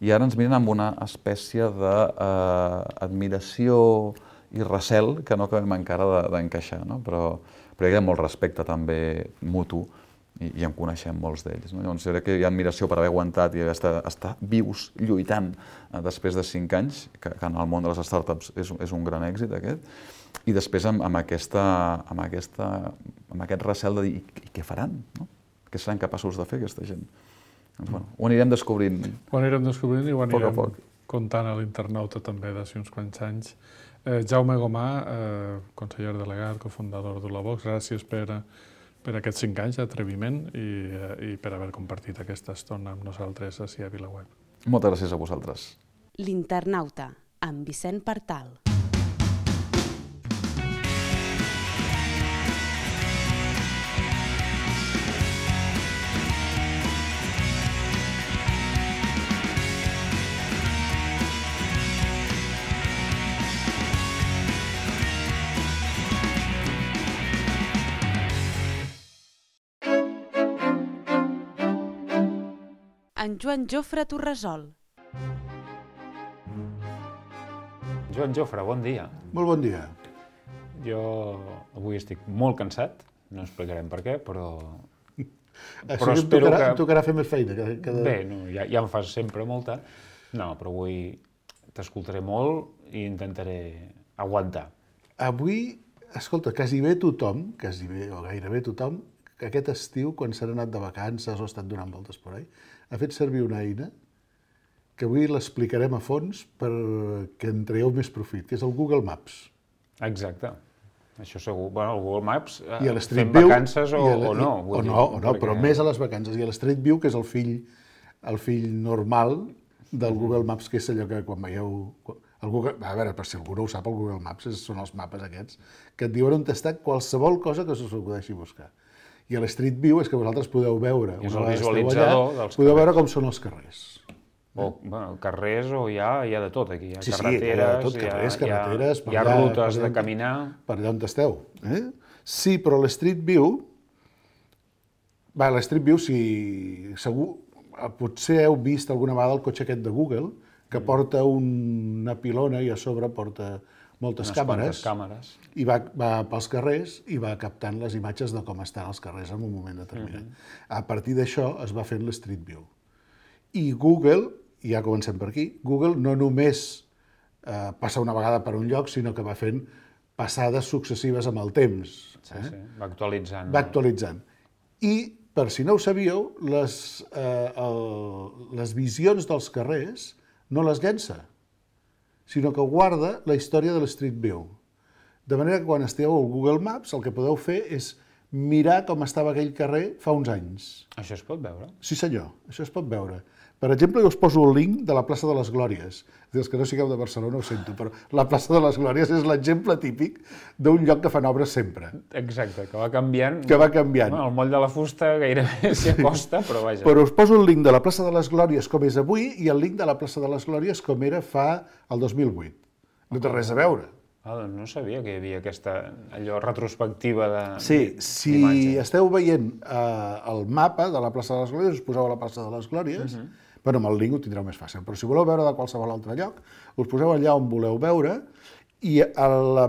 i ara ens miren amb una espècie d'admiració i recel que no acabem encara d'encaixar, no? Però, però hi ha molt respecte també mutu i, i en coneixem molts d'ells. No? Llavors, crec que hi ha admiració per haver aguantat i estar, estar vius, lluitant eh, després de cinc anys, que, que en el món de les startups és, és un gran èxit aquest, i després amb, amb, aquesta, amb, aquesta, amb aquest recel de dir i, i què faran? No? Què seran capaços de fer aquesta gent? Doncs, bueno, ho anirem descobrint. Ho anirem descobrint i ho anirem poc a poc. Contant a l'internauta també d'ací uns quants anys. Eh, Jaume Gomà, eh, conseller delegat, cofundador d'Ulabox, gràcies per, per aquests cinc anys d'atreviment i, i per haver compartit aquesta estona amb nosaltres ací a VilaWeb. Moltes gràcies a vosaltres. L'internauta, amb Vicent Partal. En Joan Jofre Torresol. Joan Jofre, bon dia. Molt bon dia. Jo avui estic molt cansat, no explicarem per què, però... Però Així espero tocarà, que... tocarà fer més feina. Que, que... Bé, no, ja, ja en fas sempre molta. No, però avui t'escoltaré molt i intentaré aguantar. Avui, escolta, quasi bé tothom, quasi bé o gairebé tothom, que aquest estiu, quan s'ha anat de vacances o ha estat donant voltes per ahí, ha fet servir una eina que avui l'explicarem a fons perquè en traieu més profit, que és el Google Maps. Exacte. Això segur. Bueno, el Google Maps, I a fem vacances o, a o no. O no, o no, però més a les vacances. I a l'Street View, que és el fill, el fill normal del Google Maps, que és allò que quan veieu... El Google, a veure, per si algú no ho sap, el Google Maps són els mapes aquests que et diuen on està qualsevol cosa que us acudeixi buscar. I a l'Street View és que vosaltres podeu veure, és el visualitzador dels podeu veure com són els carrers. O, bueno, carrers o hi ha, hi ha de tot aquí. Hi ha sí, carreteres, sí, hi ha tot, carrers, hi ha, carreteres, hi ha, hi ha rutes de caminar. Per allà on esteu. Eh? Sí, però l'Street View, va, l'Street View, si segur, potser heu vist alguna vegada el cotxe aquest de Google, que porta una pilona i a sobre porta moltes unes càmeres, càmeres, i va, va pels carrers i va captant les imatges de com estan els carrers en un moment determinat. Uh-huh. A partir d'això es va fent l'Street View. I Google, i ja comencem per aquí, Google no només eh, passa una vegada per un lloc, sinó que va fent passades successives amb el temps. Sí, eh? sí, va actualitzant. Va actualitzant. I, per si no ho sabíeu, les, eh, el, les visions dels carrers no les llença, sinó que guarda la història de l'Street View. De manera que quan esteu al Google Maps el que podeu fer és mirar com estava aquell carrer fa uns anys. Això es pot veure? Sí senyor, això es pot veure. Per exemple, jo us poso el link de la plaça de les Glòries. Els que no sigueu de Barcelona ho sento, però la plaça de les Glòries és l'exemple típic d'un lloc que fan obres sempre. Exacte, que va canviant. Que va canviant. Bueno, el moll de la fusta gairebé s'hi acosta, però vaja. Però us poso el link de la plaça de les Glòries com és avui i el link de la plaça de les Glòries com era fa el dos mil vuit. No té res a veure. Ah, doncs no sabia que hi havia aquesta allò retrospectiva de Sí, si esteu veient eh, el mapa de la plaça de les Glòries, us poseu a la plaça de les Glòries, uh-huh. Bueno, amb el link ho tindreu més fàcil, però si voleu veure de qualsevol altre lloc, us poseu allà on voleu veure i a la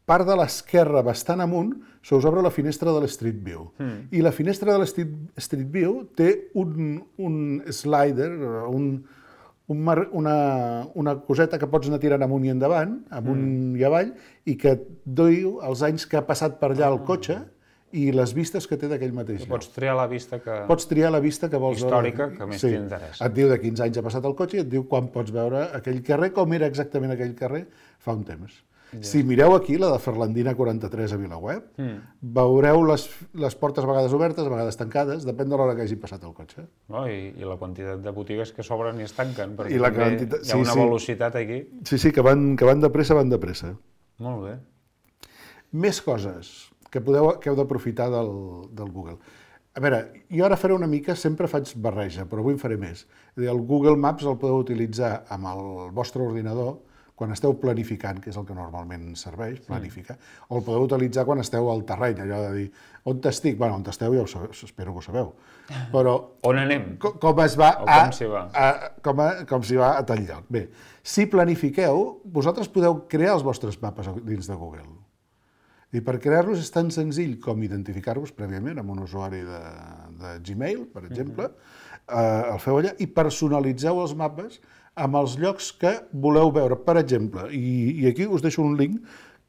part de l'esquerra, bastant amunt, se us obre la finestra de l'Street View. Mm. I la finestra de l'Street View té un, un slider, un, un mar, una, una coseta que pots anar tirant amunt i endavant, amunt mm. i avall, i que et diu els anys que ha passat per allà el cotxe, i les vistes que té d'aquell mateix lloc. Pots triar la vista que... Pots triar la vista que vols històrica, veure. que més Sí. t'interessa. Et diu de quins anys ha passat el cotxe i et diu quan pots veure aquell carrer, com era exactament aquell carrer fa un temps. Ja. Si mireu aquí, la de Ferlandina quaranta-tres a Vilaweb, mm. veureu les, les portes a vegades obertes, a vegades tancades, depèn de l'hora que hagi passat el cotxe. No, i, I la quantitat de botigues que s'obren i es tanquen, perquè I la també quantitat... hi ha sí, una sí. velocitat aquí. Sí, sí, que van, que van de pressa, van de pressa. Molt bé. Més coses que, podeu, que heu d'aprofitar del, del Google. A veure, jo ara faré una mica, sempre faig barreja, però avui en faré més. És a dir, el Google Maps el podeu utilitzar amb el vostre ordinador quan esteu planificant, que és el que normalment serveix, planificar, sí. O el podeu utilitzar quan esteu al terreny, allò de dir, on t'estic? Bueno, on t'esteu ja ho sabeu, espero que ho sabeu. Però on anem? Com, com es va o a... com s'hi va? A, com, a, com s'hi va a tal lloc. Bé, si planifiqueu, vosaltres podeu crear els vostres mapes dins de Google. I per crear-los és tan senzill com identificar-vos prèviament amb un usuari de, de Gmail, per exemple, uh-huh. eh, el feu allà i personalitzeu els mapes amb els llocs que voleu veure. Per exemple, i, i aquí us deixo un link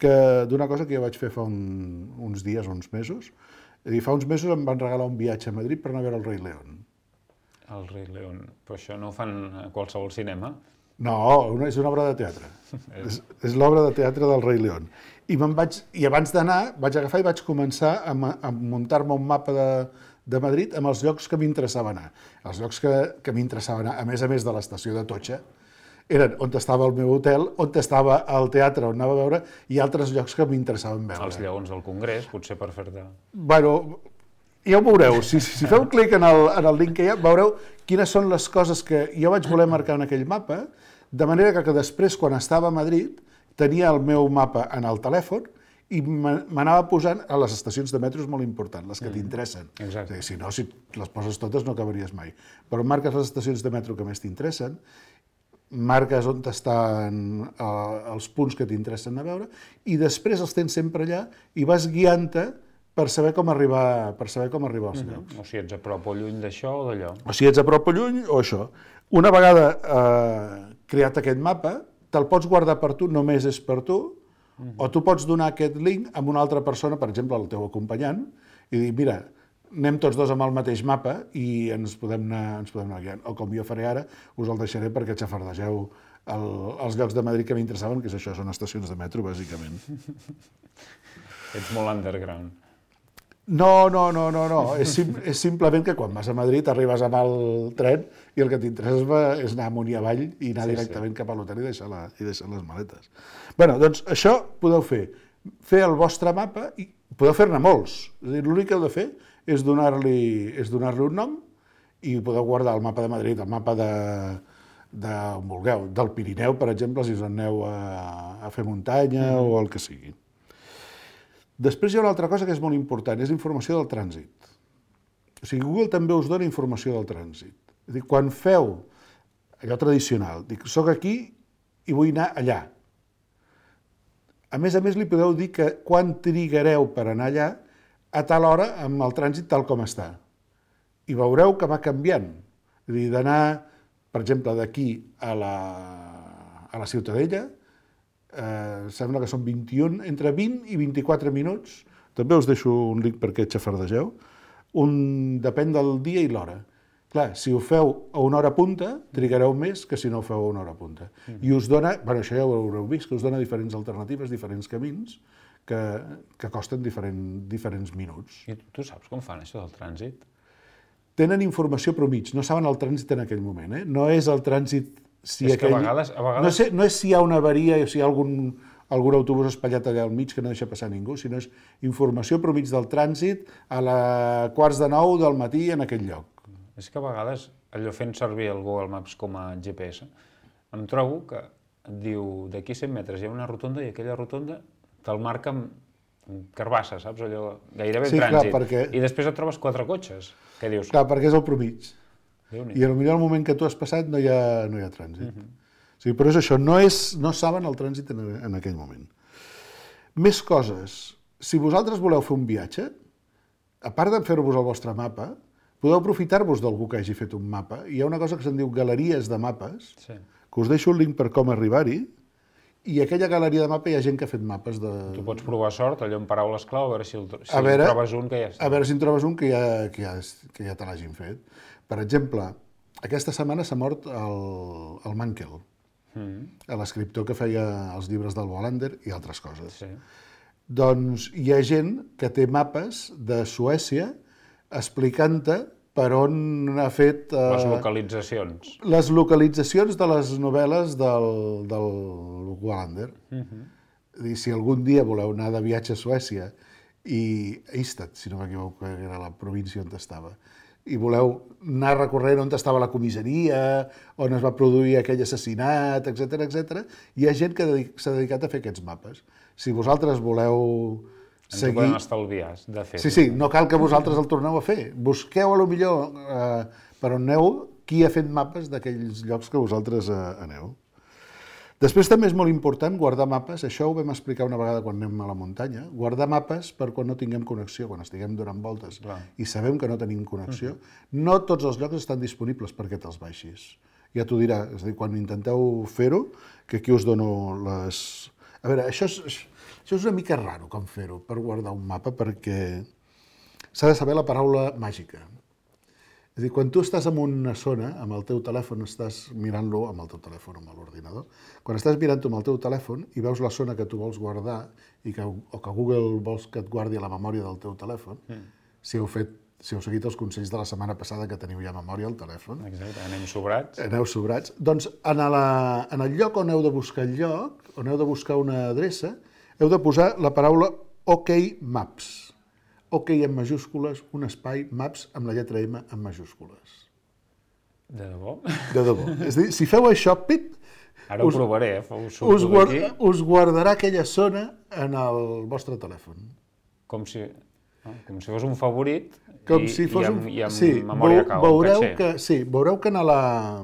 d'una cosa que jo vaig fer fa un, uns dies, uns mesos. És a dir, fa uns mesos em van regalar un viatge a Madrid per anar a veure el Rei León. El Rei León. Però això no ho fan a qualsevol cinema? No, una, és una obra de teatre. és és l'obra de teatre del Rei León. I, vaig, I abans d'anar vaig agafar i vaig començar a, a muntar-me un mapa de, de Madrid amb els llocs que m'interessava anar. Els llocs que, que m'interessava anar, a més a més de l'estació d'Atocha, eren on estava el meu hotel, on estava el teatre on anava a veure i altres llocs que m'interessaven veure. Els lleons del Congrés, potser per fer-te... Bueno, ja ho veureu. Si, si feu clic en el, en el link que hi ha, veureu quines són les coses que jo vaig voler marcar en aquell mapa, de manera que, que després, quan estava a Madrid, tenia el meu mapa en el telèfon i m'anava posant a les estacions de metro, és molt important, les que t'interessen. Exacte. Si no, si les poses totes no acabaries mai. Però marques les estacions de metro que més t'interessen, marques on estan eh, els punts que t'interessen a veure i després els tens sempre allà i vas guiant-te per saber com arribar, per saber com arribar als llocs. O si ets a prop o lluny d'això o d'allò. O si ets a prop o lluny o això. Una vegada eh, creat aquest mapa, te'l pots guardar per tu, només és per tu, uh-huh. O tu pots donar aquest link a una altra persona, per exemple, al teu acompanyant, i dir, mira, anem tots dos amb el mateix mapa i ens podem anar, ens podem anar guiant. O com jo faré ara, us el deixaré perquè xafardegeu el, els llocs de Madrid que m'interessaven, que és això, són estacions de metro, bàsicament. Ets molt underground. No, no, no, no, no. És, sim, és simplement que quan vas a Madrid arribes amb el tren i el que t'interessa és anar amunt i avall i anar sí, directament sí. cap a l'hotel i, deixar la, i deixar les maletes. Bé, doncs això podeu fer. Fer el vostre mapa i podeu fer-ne molts. L'únic que heu de fer és donar-li és donar-li un nom i podeu guardar el mapa de Madrid, el mapa de, de on vulgueu, del Pirineu, per exemple, si us aneu a, a fer muntanya mm. o el que sigui. Després hi ha una altra cosa que és molt important, és informació del trànsit. O sigui, Google també us dona informació del trànsit. És a dir, quan feu allò tradicional, dic, soc aquí i vull anar allà. A més a més, li podeu dir que quan trigareu per anar allà, a tal hora, amb el trànsit tal com està. I veureu que va canviant. És a dir, d'anar, per exemple, d'aquí a la, a la Ciutadella, Eh, sembla que són vint-i-un, entre vint i vint-i-quatre minuts, també us deixo un link perquè xafardegeu, un, depèn del dia i l'hora. Clar, si ho feu a una hora punta, trigareu més que si no ho feu a una hora punta. Mm. I us dona, bueno, això ja ho haureu vist, que us dona diferents alternatives, diferents camins, que, que costen diferent, diferents minuts. I tu saps com fan això del trànsit? Tenen informació però mig, no saben el trànsit en aquell moment. Eh? No és el trànsit... Si és aquell... que a vegades... A vegades... No, sé, no és si hi ha una avaria o si hi ha algun, algun autobús espatllat allà al mig que no deixa passar ningú, sinó és informació però mig del trànsit a la quarts de nou del matí en aquell lloc. És que a vegades, allò fent servir el Google Maps com a G P S, em trobo que et diu d'aquí cent metres hi ha una rotonda i aquella rotonda te'l marca amb carbassa, saps? Allò gairebé Sí, clar, trànsit. perquè- I després et trobes quatre cotxes. Què dius? Clar, perquè és el promig. Déu-n'hi. I potser al moment que tu has passat no hi ha, no hi ha trànsit. Uh -huh. O sigui, però és això, no, és, no saben el trànsit en, en aquell moment. Més coses. Si vosaltres voleu fer un viatge, a part de fer-vos el vostre mapa, podeu aprofitar-vos d'algú que hagi fet un mapa. Hi ha una cosa que se'n diu galeries de mapes, Sí. que us deixo el link per com arribar-hi, i aquella galeria de mapa hi ha gent que ha fet mapes de... Tu pots provar sort, allò amb paraules clau, a veure si, el, si A veure- en trobes un que ja està. A veure si en trobes un que ja, que ja, que ja te l'hagin fet. Per exemple, aquesta setmana s'ha mort el, el Mankell, Mm, l'escriptor que feia els llibres del Wallander i altres coses. sí. Doncs hi ha gent que té mapes de Suècia explicant-te per on ha fet... eh, Les localitzacions. les localitzacions de les novel·les del, del Wallander. És a dir, si algun dia voleu anar de viatge a Suècia i a Ystad, si no m'equivoco, que era la província on estava, i voleu anar recorrent on estava la comissaria, on es va produir aquell assassinat, etcètera, etcètera, hi ha gent que dedic- s'ha dedicat a fer aquests mapes. Si vosaltres voleu Ens ho podem estalviar de fer. Sí, sí, no cal que vosaltres el torneu a fer. Busqueu a lo millor eh, per on aneu qui ha fet mapes d'aquells llocs que vosaltres eh, aneu. Després també és molt important guardar mapes, això ho vam explicar una vegada quan anem a la muntanya, guardar mapes per quan no tinguem connexió, quan estiguem donant voltes Clar. i sabem que no tenim connexió. No tots els llocs estan disponibles perquè te'ls baixis. Ja t'ho dirà, és a dir, quan intenteu fer-ho, que aquí us dono les... A veure, això és, això és una mica raro com fer-ho, per guardar un mapa, perquè s'ha de saber la paraula màgica. És a dir, quan tu estàs en una zona, amb el teu telèfon, estàs mirant-lo amb el teu telèfon, amb l'ordinador, quan estàs mirant-ho amb el teu telèfon i veus la zona que tu vols guardar i que, o que Google vols que et guardi a la memòria del teu telèfon, mm. si heu fet, si heu seguit els consells de la setmana passada que teniu ja memòria al telèfon, Exacte, anem sobrats. aneu sobrats, doncs en, la, en el lloc on heu de buscar el lloc, on heu de buscar una adreça, heu de posar la paraula OK Maps. OK en majúscules, un espai, Maps amb la lletra M en majúscules. De debò? De debò. És a dir, si feu això, pit, Ara ho us, provaré, eh? Ho us, surto guard, d'aquí, us guardarà aquella zona en el vostre telèfon. com si, no? com si fos un favorit Com i, si fos i amb, un... i amb sí, memòria veu- cau, veureu caché. que, sí, veureu que en, la,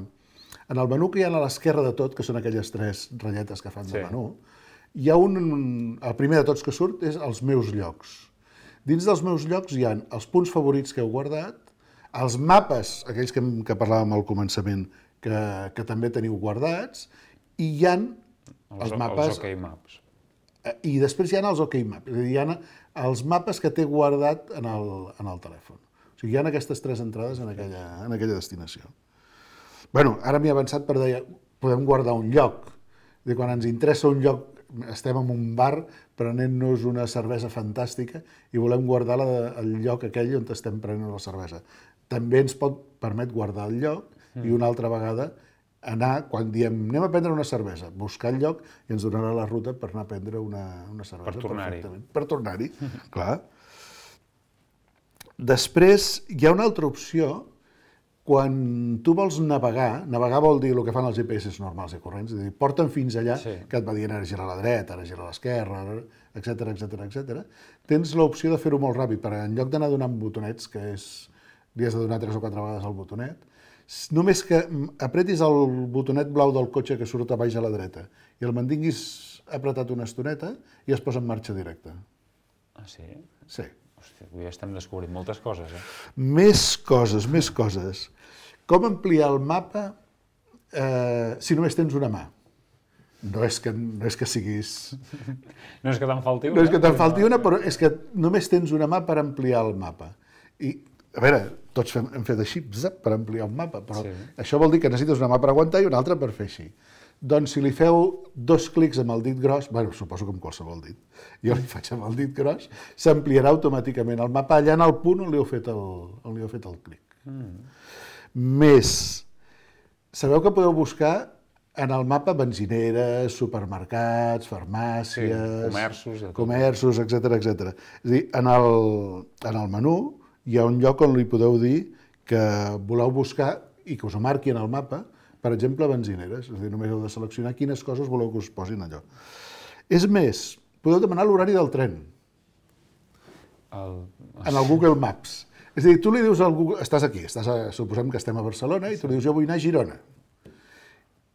en el menú que hi ha a l'esquerra de tot, que són aquelles tres ratlletes que fan Sí. de menú, hi ha un... El primer de tots que surt és els meus llocs. Dins dels meus llocs hi ha els punts favorits que heu guardat, els mapes, aquells que, que parlàvem al començament, que, que també teniu guardats, i hi ha els, Els, mapes... els OK Maps. I després hi ha els OK Maps, és a dir, hi ha els mapes que té guardat en el, en el telèfon. O sigui, hi ha aquestes tres entrades en aquella, en aquella destinació. Bueno, ara m'he avançat per dir, podem guardar un lloc. És a dir, quan ens interessa un lloc, estem en un bar prenent-nos una cervesa fantàstica i volem guardar la, el lloc aquell on estem prenent la cervesa. També ens pot permet guardar el lloc i una altra vegada anar, quan diem anem a prendre una cervesa, buscar el lloc i ens donarà la ruta per anar a prendre una, una cervesa. Per tornar-hi. perfectament. Per tornar-hi, clar. Després, hi ha una altra opció, quan tu vols navegar, navegar vol dir el que fan els G P S normals i corrents, és a dir, porten fins allà, Sí. que et va dient ara gira a la dreta, ara gira a l'esquerra, etcètera, etcètera, etcètera. Tens l'opció de fer-ho molt ràpid, perquè en lloc d'anar donant botonets, que és, li has de donar tres o quatre vegades el botonet, només que apretis el botonet blau del cotxe que surt a baix a la dreta i el mantinguis apretat una estoneta i es posa en marxa directa. Ah, sí? Sí. Hòstia, avui estem descobrint moltes coses, eh? Més coses, més coses. Com ampliar el mapa eh, si només tens una mà? No és que, no és que siguis... No és que te'n falti una. No és que te'n falti una, però és que només tens una mà per ampliar el mapa. I, a veure, tots fem, hem fet així, zap, per ampliar un mapa, però Sí. això vol dir que necessites una mà per aguantar i una altra per fer així. Doncs si li feu dos clics amb el dit gros, bueno, suposo que amb qualsevol dit, jo li faig amb el dit gros, s'ampliarà automàticament el mapa allà en el punt on li heu fet el, on li heu fet el clic. Mm. Més, sabeu que podeu buscar en el mapa benzineres, supermercats, farmàcies... Sí, comerços... Comerços, etcètera, etcètera. És a dir, en el, en el menú hi ha un lloc on li podeu dir que voleu buscar i que us ho marqui en el mapa, per exemple, benzineres. És a dir, només heu de seleccionar quines coses voleu que us posin allò. És més, podeu demanar l'horari del tren el... en el Google Maps. És a dir, tu li dius al Google... Estàs aquí, estàs a... suposem que estem a Barcelona, i tu li dius, jo vull anar a Girona.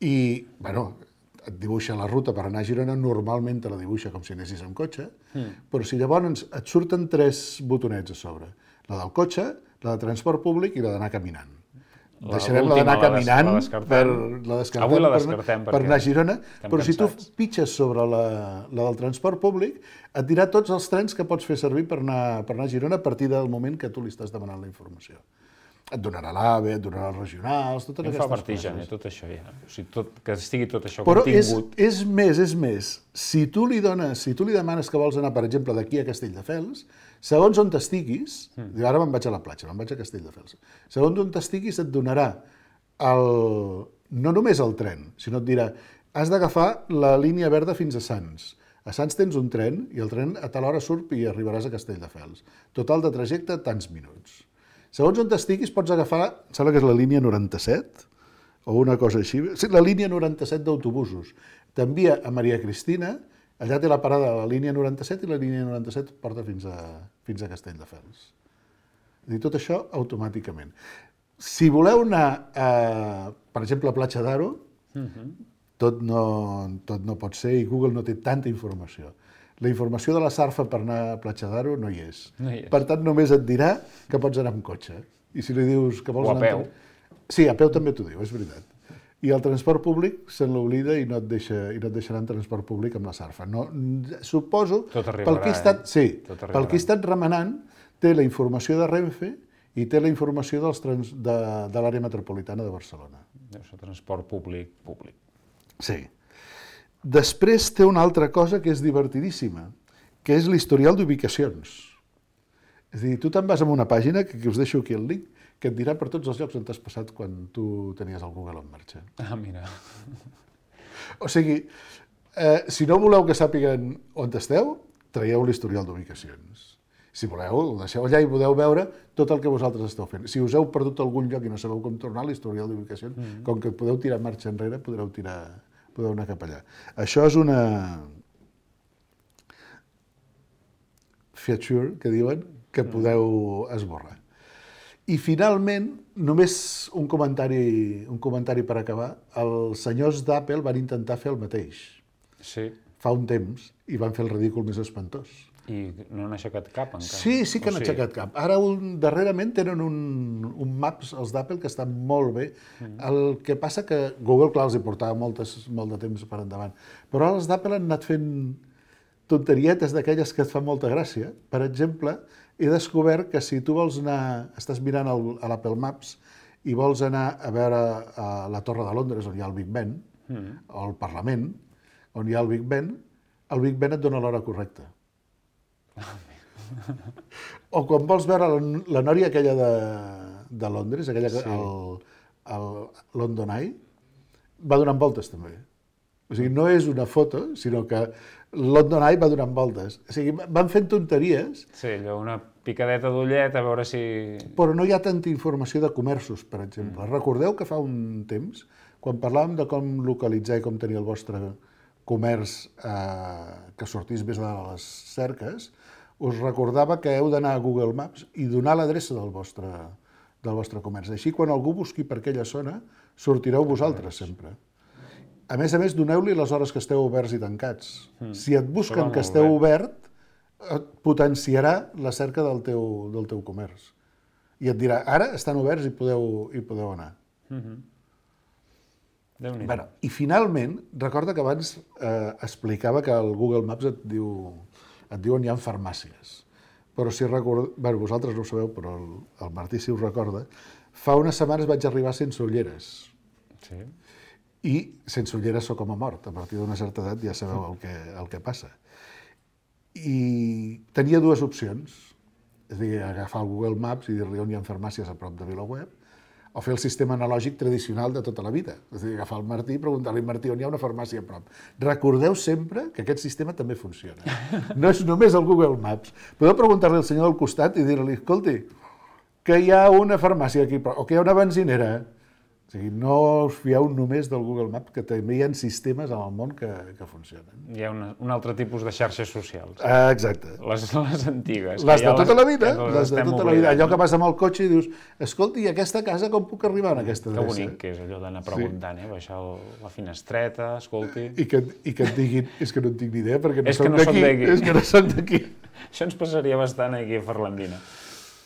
I, bueno, et dibuixa la ruta per anar a Girona, normalment te la dibuixa com si anessis amb cotxe, mm. però si llavors et surten tres botonets a sobre, la del cotxe, la de transport públic i la d'anar caminant. La, Deixarem la d'anar caminant, la descartem, per, la descartem, avui la descartem per, per anar a Girona, però si tu pitges sobre la, la del transport públic, et dirà tots els trens que pots fer servir per anar, per anar a Girona a partir del moment que tu li estàs demanant la informació. Et donarà l'AVE, et donarà els regionals, totes aquestes coses. Em fa vertigen, eh, tot això ja. O sigui, tot, que estigui tot això Però contingut. Però és, és més, és més. Si tu li dones, si tu li demanes que vols anar, per exemple, d'aquí a Castelldefels, segons on t'estiguis, mm. diu, ara me'n vaig a la platja, me'n vaig a Castelldefels, segons on t'estiguis et donarà el, no només el tren, sinó et dirà, has d'agafar la línia verda fins a Sants. A Sants tens un tren i el tren a tal hora surt i arribaràs a Castelldefels. Total de trajecte, tants minuts. Segons on t'estiguis, pots agafar, em sembla que és la línia noranta-set, o una cosa així, sí, la línia noranta-set d'autobusos. T'envia a Maria Cristina, allà té la parada de la línia noranta-set i la línia noranta-set porta fins a, fins a Castelldefels. I tot això automàticament. Si voleu anar, a, per exemple, a Platja d'Aro, uh-huh. tot, no, tot no pot ser i Google no té tanta informació. La informació de la Sarfa per anar a Platja d'Aro no hi és. No hi és. Per tant, només et dirà que pots anar amb cotxe. I si li dius que vols o a anar... peu. Amb... Sí, a peu també t'ho diu, és veritat. I el transport públic se l'oblida i no et deixa, i no et deixarà en transport públic amb la Sarfa. No, suposo, tot arribarà, pel que he estat, eh? sí, tot pel que he estat remenant, té la informació de Renfe i té la informació dels trans, de, de l'àrea metropolitana de Barcelona. Deu ser transport públic, públic. Sí. Després té una altra cosa que és divertidíssima, que és l'historial d'ubicacions. És a dir, tu te'n vas a una pàgina, que, que us deixo aquí el link, que et dirà per tots els llocs on t'has passat quan tu tenies el Google en marxa. Ah, mira. O sigui, eh, si no voleu que sàpiguen on esteu, traieu l'historial d'ubicacions. Si voleu, el deixeu allà i podeu veure tot el que vosaltres esteu fent. Si us heu perdut algun lloc i no sabeu com tornar, l'historial d'ubicacions, mm-hmm. com que podeu tirar marxa enrere, podreu tirar... podeu anar cap allà. Això és una feature, que diuen, que podeu esborrar. I finalment, només un comentari, un comentari per acabar, els senyors d'Apple van intentar fer el mateix. Sí. Fa un temps, i van fer el ridícul més espantós. I no han aixecat cap, encara. Sí, sí que han aixecat cap. Ara, un, darrerament, tenen un, un Maps, els d'Apple, que estan molt bé. Mm. El que passa que Google, clar, els hi portava moltes, molt de temps per endavant. Però ara els d'Apple han anat fent tonterietes d'aquelles que et fan molta gràcia. Per exemple, he descobert que si tu vols anar, estàs mirant el, a l'Apple Maps i vols anar a veure a la Torre de Londres, on hi ha el Big Ben, mm. o el Parlament, on hi ha el Big Ben, el Big Ben et dona l'hora correcta. O quan vols veure la, la nòria aquella de, de Londres, aquella que sí. el, el London Eye, va donant voltes també. O sigui, no és una foto, sinó que London Eye va donant voltes. O sigui, van fent tonteries. Sí, allò, una picadeta d'ullet, a veure si... Però no hi ha tanta informació de comerços, per exemple. Mm. Recordeu que fa un temps, quan parlàvem de com localitzar i com tenir el vostre comerç eh, que sortís més de les cerques, us recordava que heu d'anar a Google Maps i donar l'adreça del vostre, del vostre comerç. Així, quan algú busqui per aquella zona, sortireu vosaltres sempre. A més a més, doneu-li les hores que esteu oberts i tancats. Mm. Si et busquen que esteu obert, et potenciarà la cerca del teu, del teu comerç. I et dirà, ara estan oberts i podeu, i podeu anar. Mm-hmm. Bueno, i finalment, recorda que abans eh, explicava que el Google Maps et diu, et diu on hi ha farmàcies. Però si recorda... Bé, vosaltres no ho sabeu, però el, el Martí si us recorda, fa unes setmanes vaig arribar sense ulleres. Sí. I sense ulleres sóc com a mort. A partir d'una certa edat ja sabeu el que, el que passa. I tenia dues opcions, és a dir, agafar el Google Maps i dir-li on hi ha farmàcies a prop de VilaWeb, o fer el sistema analògic tradicional de tota la vida. És a dir, agafar el Martí i preguntar-li, Martí, on hi ha una farmàcia a prop? Recordeu sempre que aquest sistema també funciona. No és només el Google Maps. Podeu preguntar-li al senyor del costat i dir-li, escolti, que hi ha una farmàcia aquí, o que hi ha una benzinera. O sigui, no us fieu només del Google Maps, que també hi ha sistemes en el món que, que funcionen. Hi ha una, un altre tipus de xarxes socials. Ah, exacte. Les, les antigues. Les de ja tota la vida, les, les de tota la vida. Allò que vas amb el cotxe i dius, escolti, i aquesta casa com puc arribar en aquesta adreça? Que bonic que és allò d'anar preguntant, eh? Baixar el, la finestreta, escolti... I que, I que et diguin, és que no en tinc ni idea perquè no és soc no d'aquí, és que no soc d'aquí. Això ens passaria bastant aquí a Ferlandina.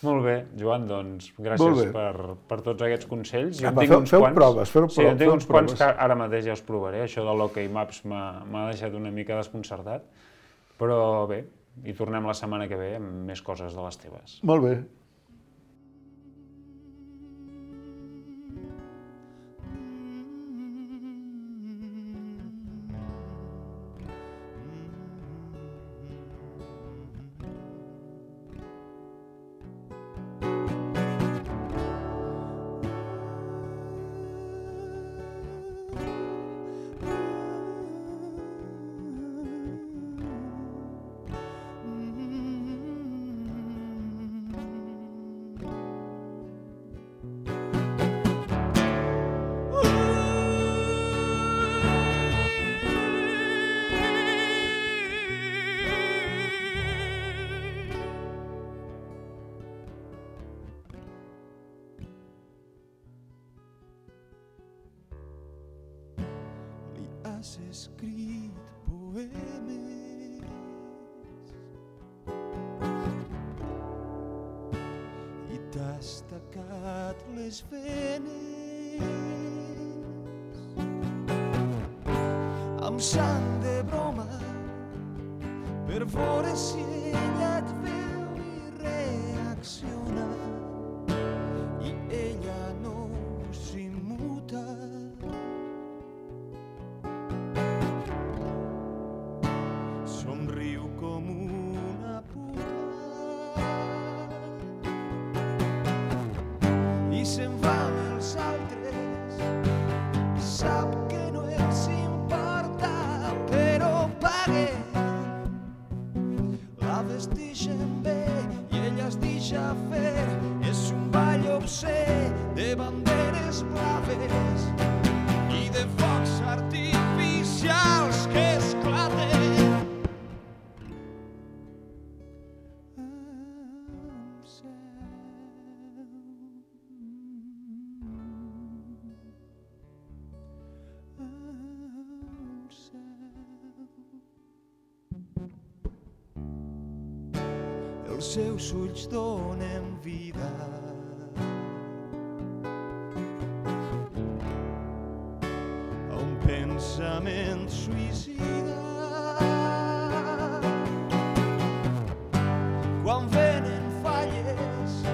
Molt bé, Joan, doncs gràcies per, per tots aquests consells. Jo Apa, tinc feu, uns feu quants, proves, feu proves. Sí, jo tinc uns quants proves. que ara mateix ja us provaré. Això de l'Ok Maps m'ha deixat una mica desconcertat. Però bé, i tornem la setmana que ve amb més coses de les teves. Molt bé. Has escrit poemes i t'has tacat les venes amb sang de broma per veure si ella et veu i reacciona i ella no s'immuta. Somriu com una puta i se'n va amb els altres, sap que no els importa, però paguen, la vestixen bé i ella es deixa fer, és un ball obscè de banderes blaves i de focs artificials que esclaten. Els seus ulls donen vida a un pensament suïcida. Quan venen falles,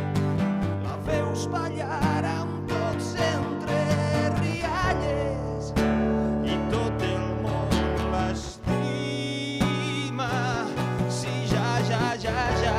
la veus ballar amb tots entre rialles i tot el món l'estima. Si ja, ja, ja, ja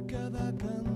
cada canción.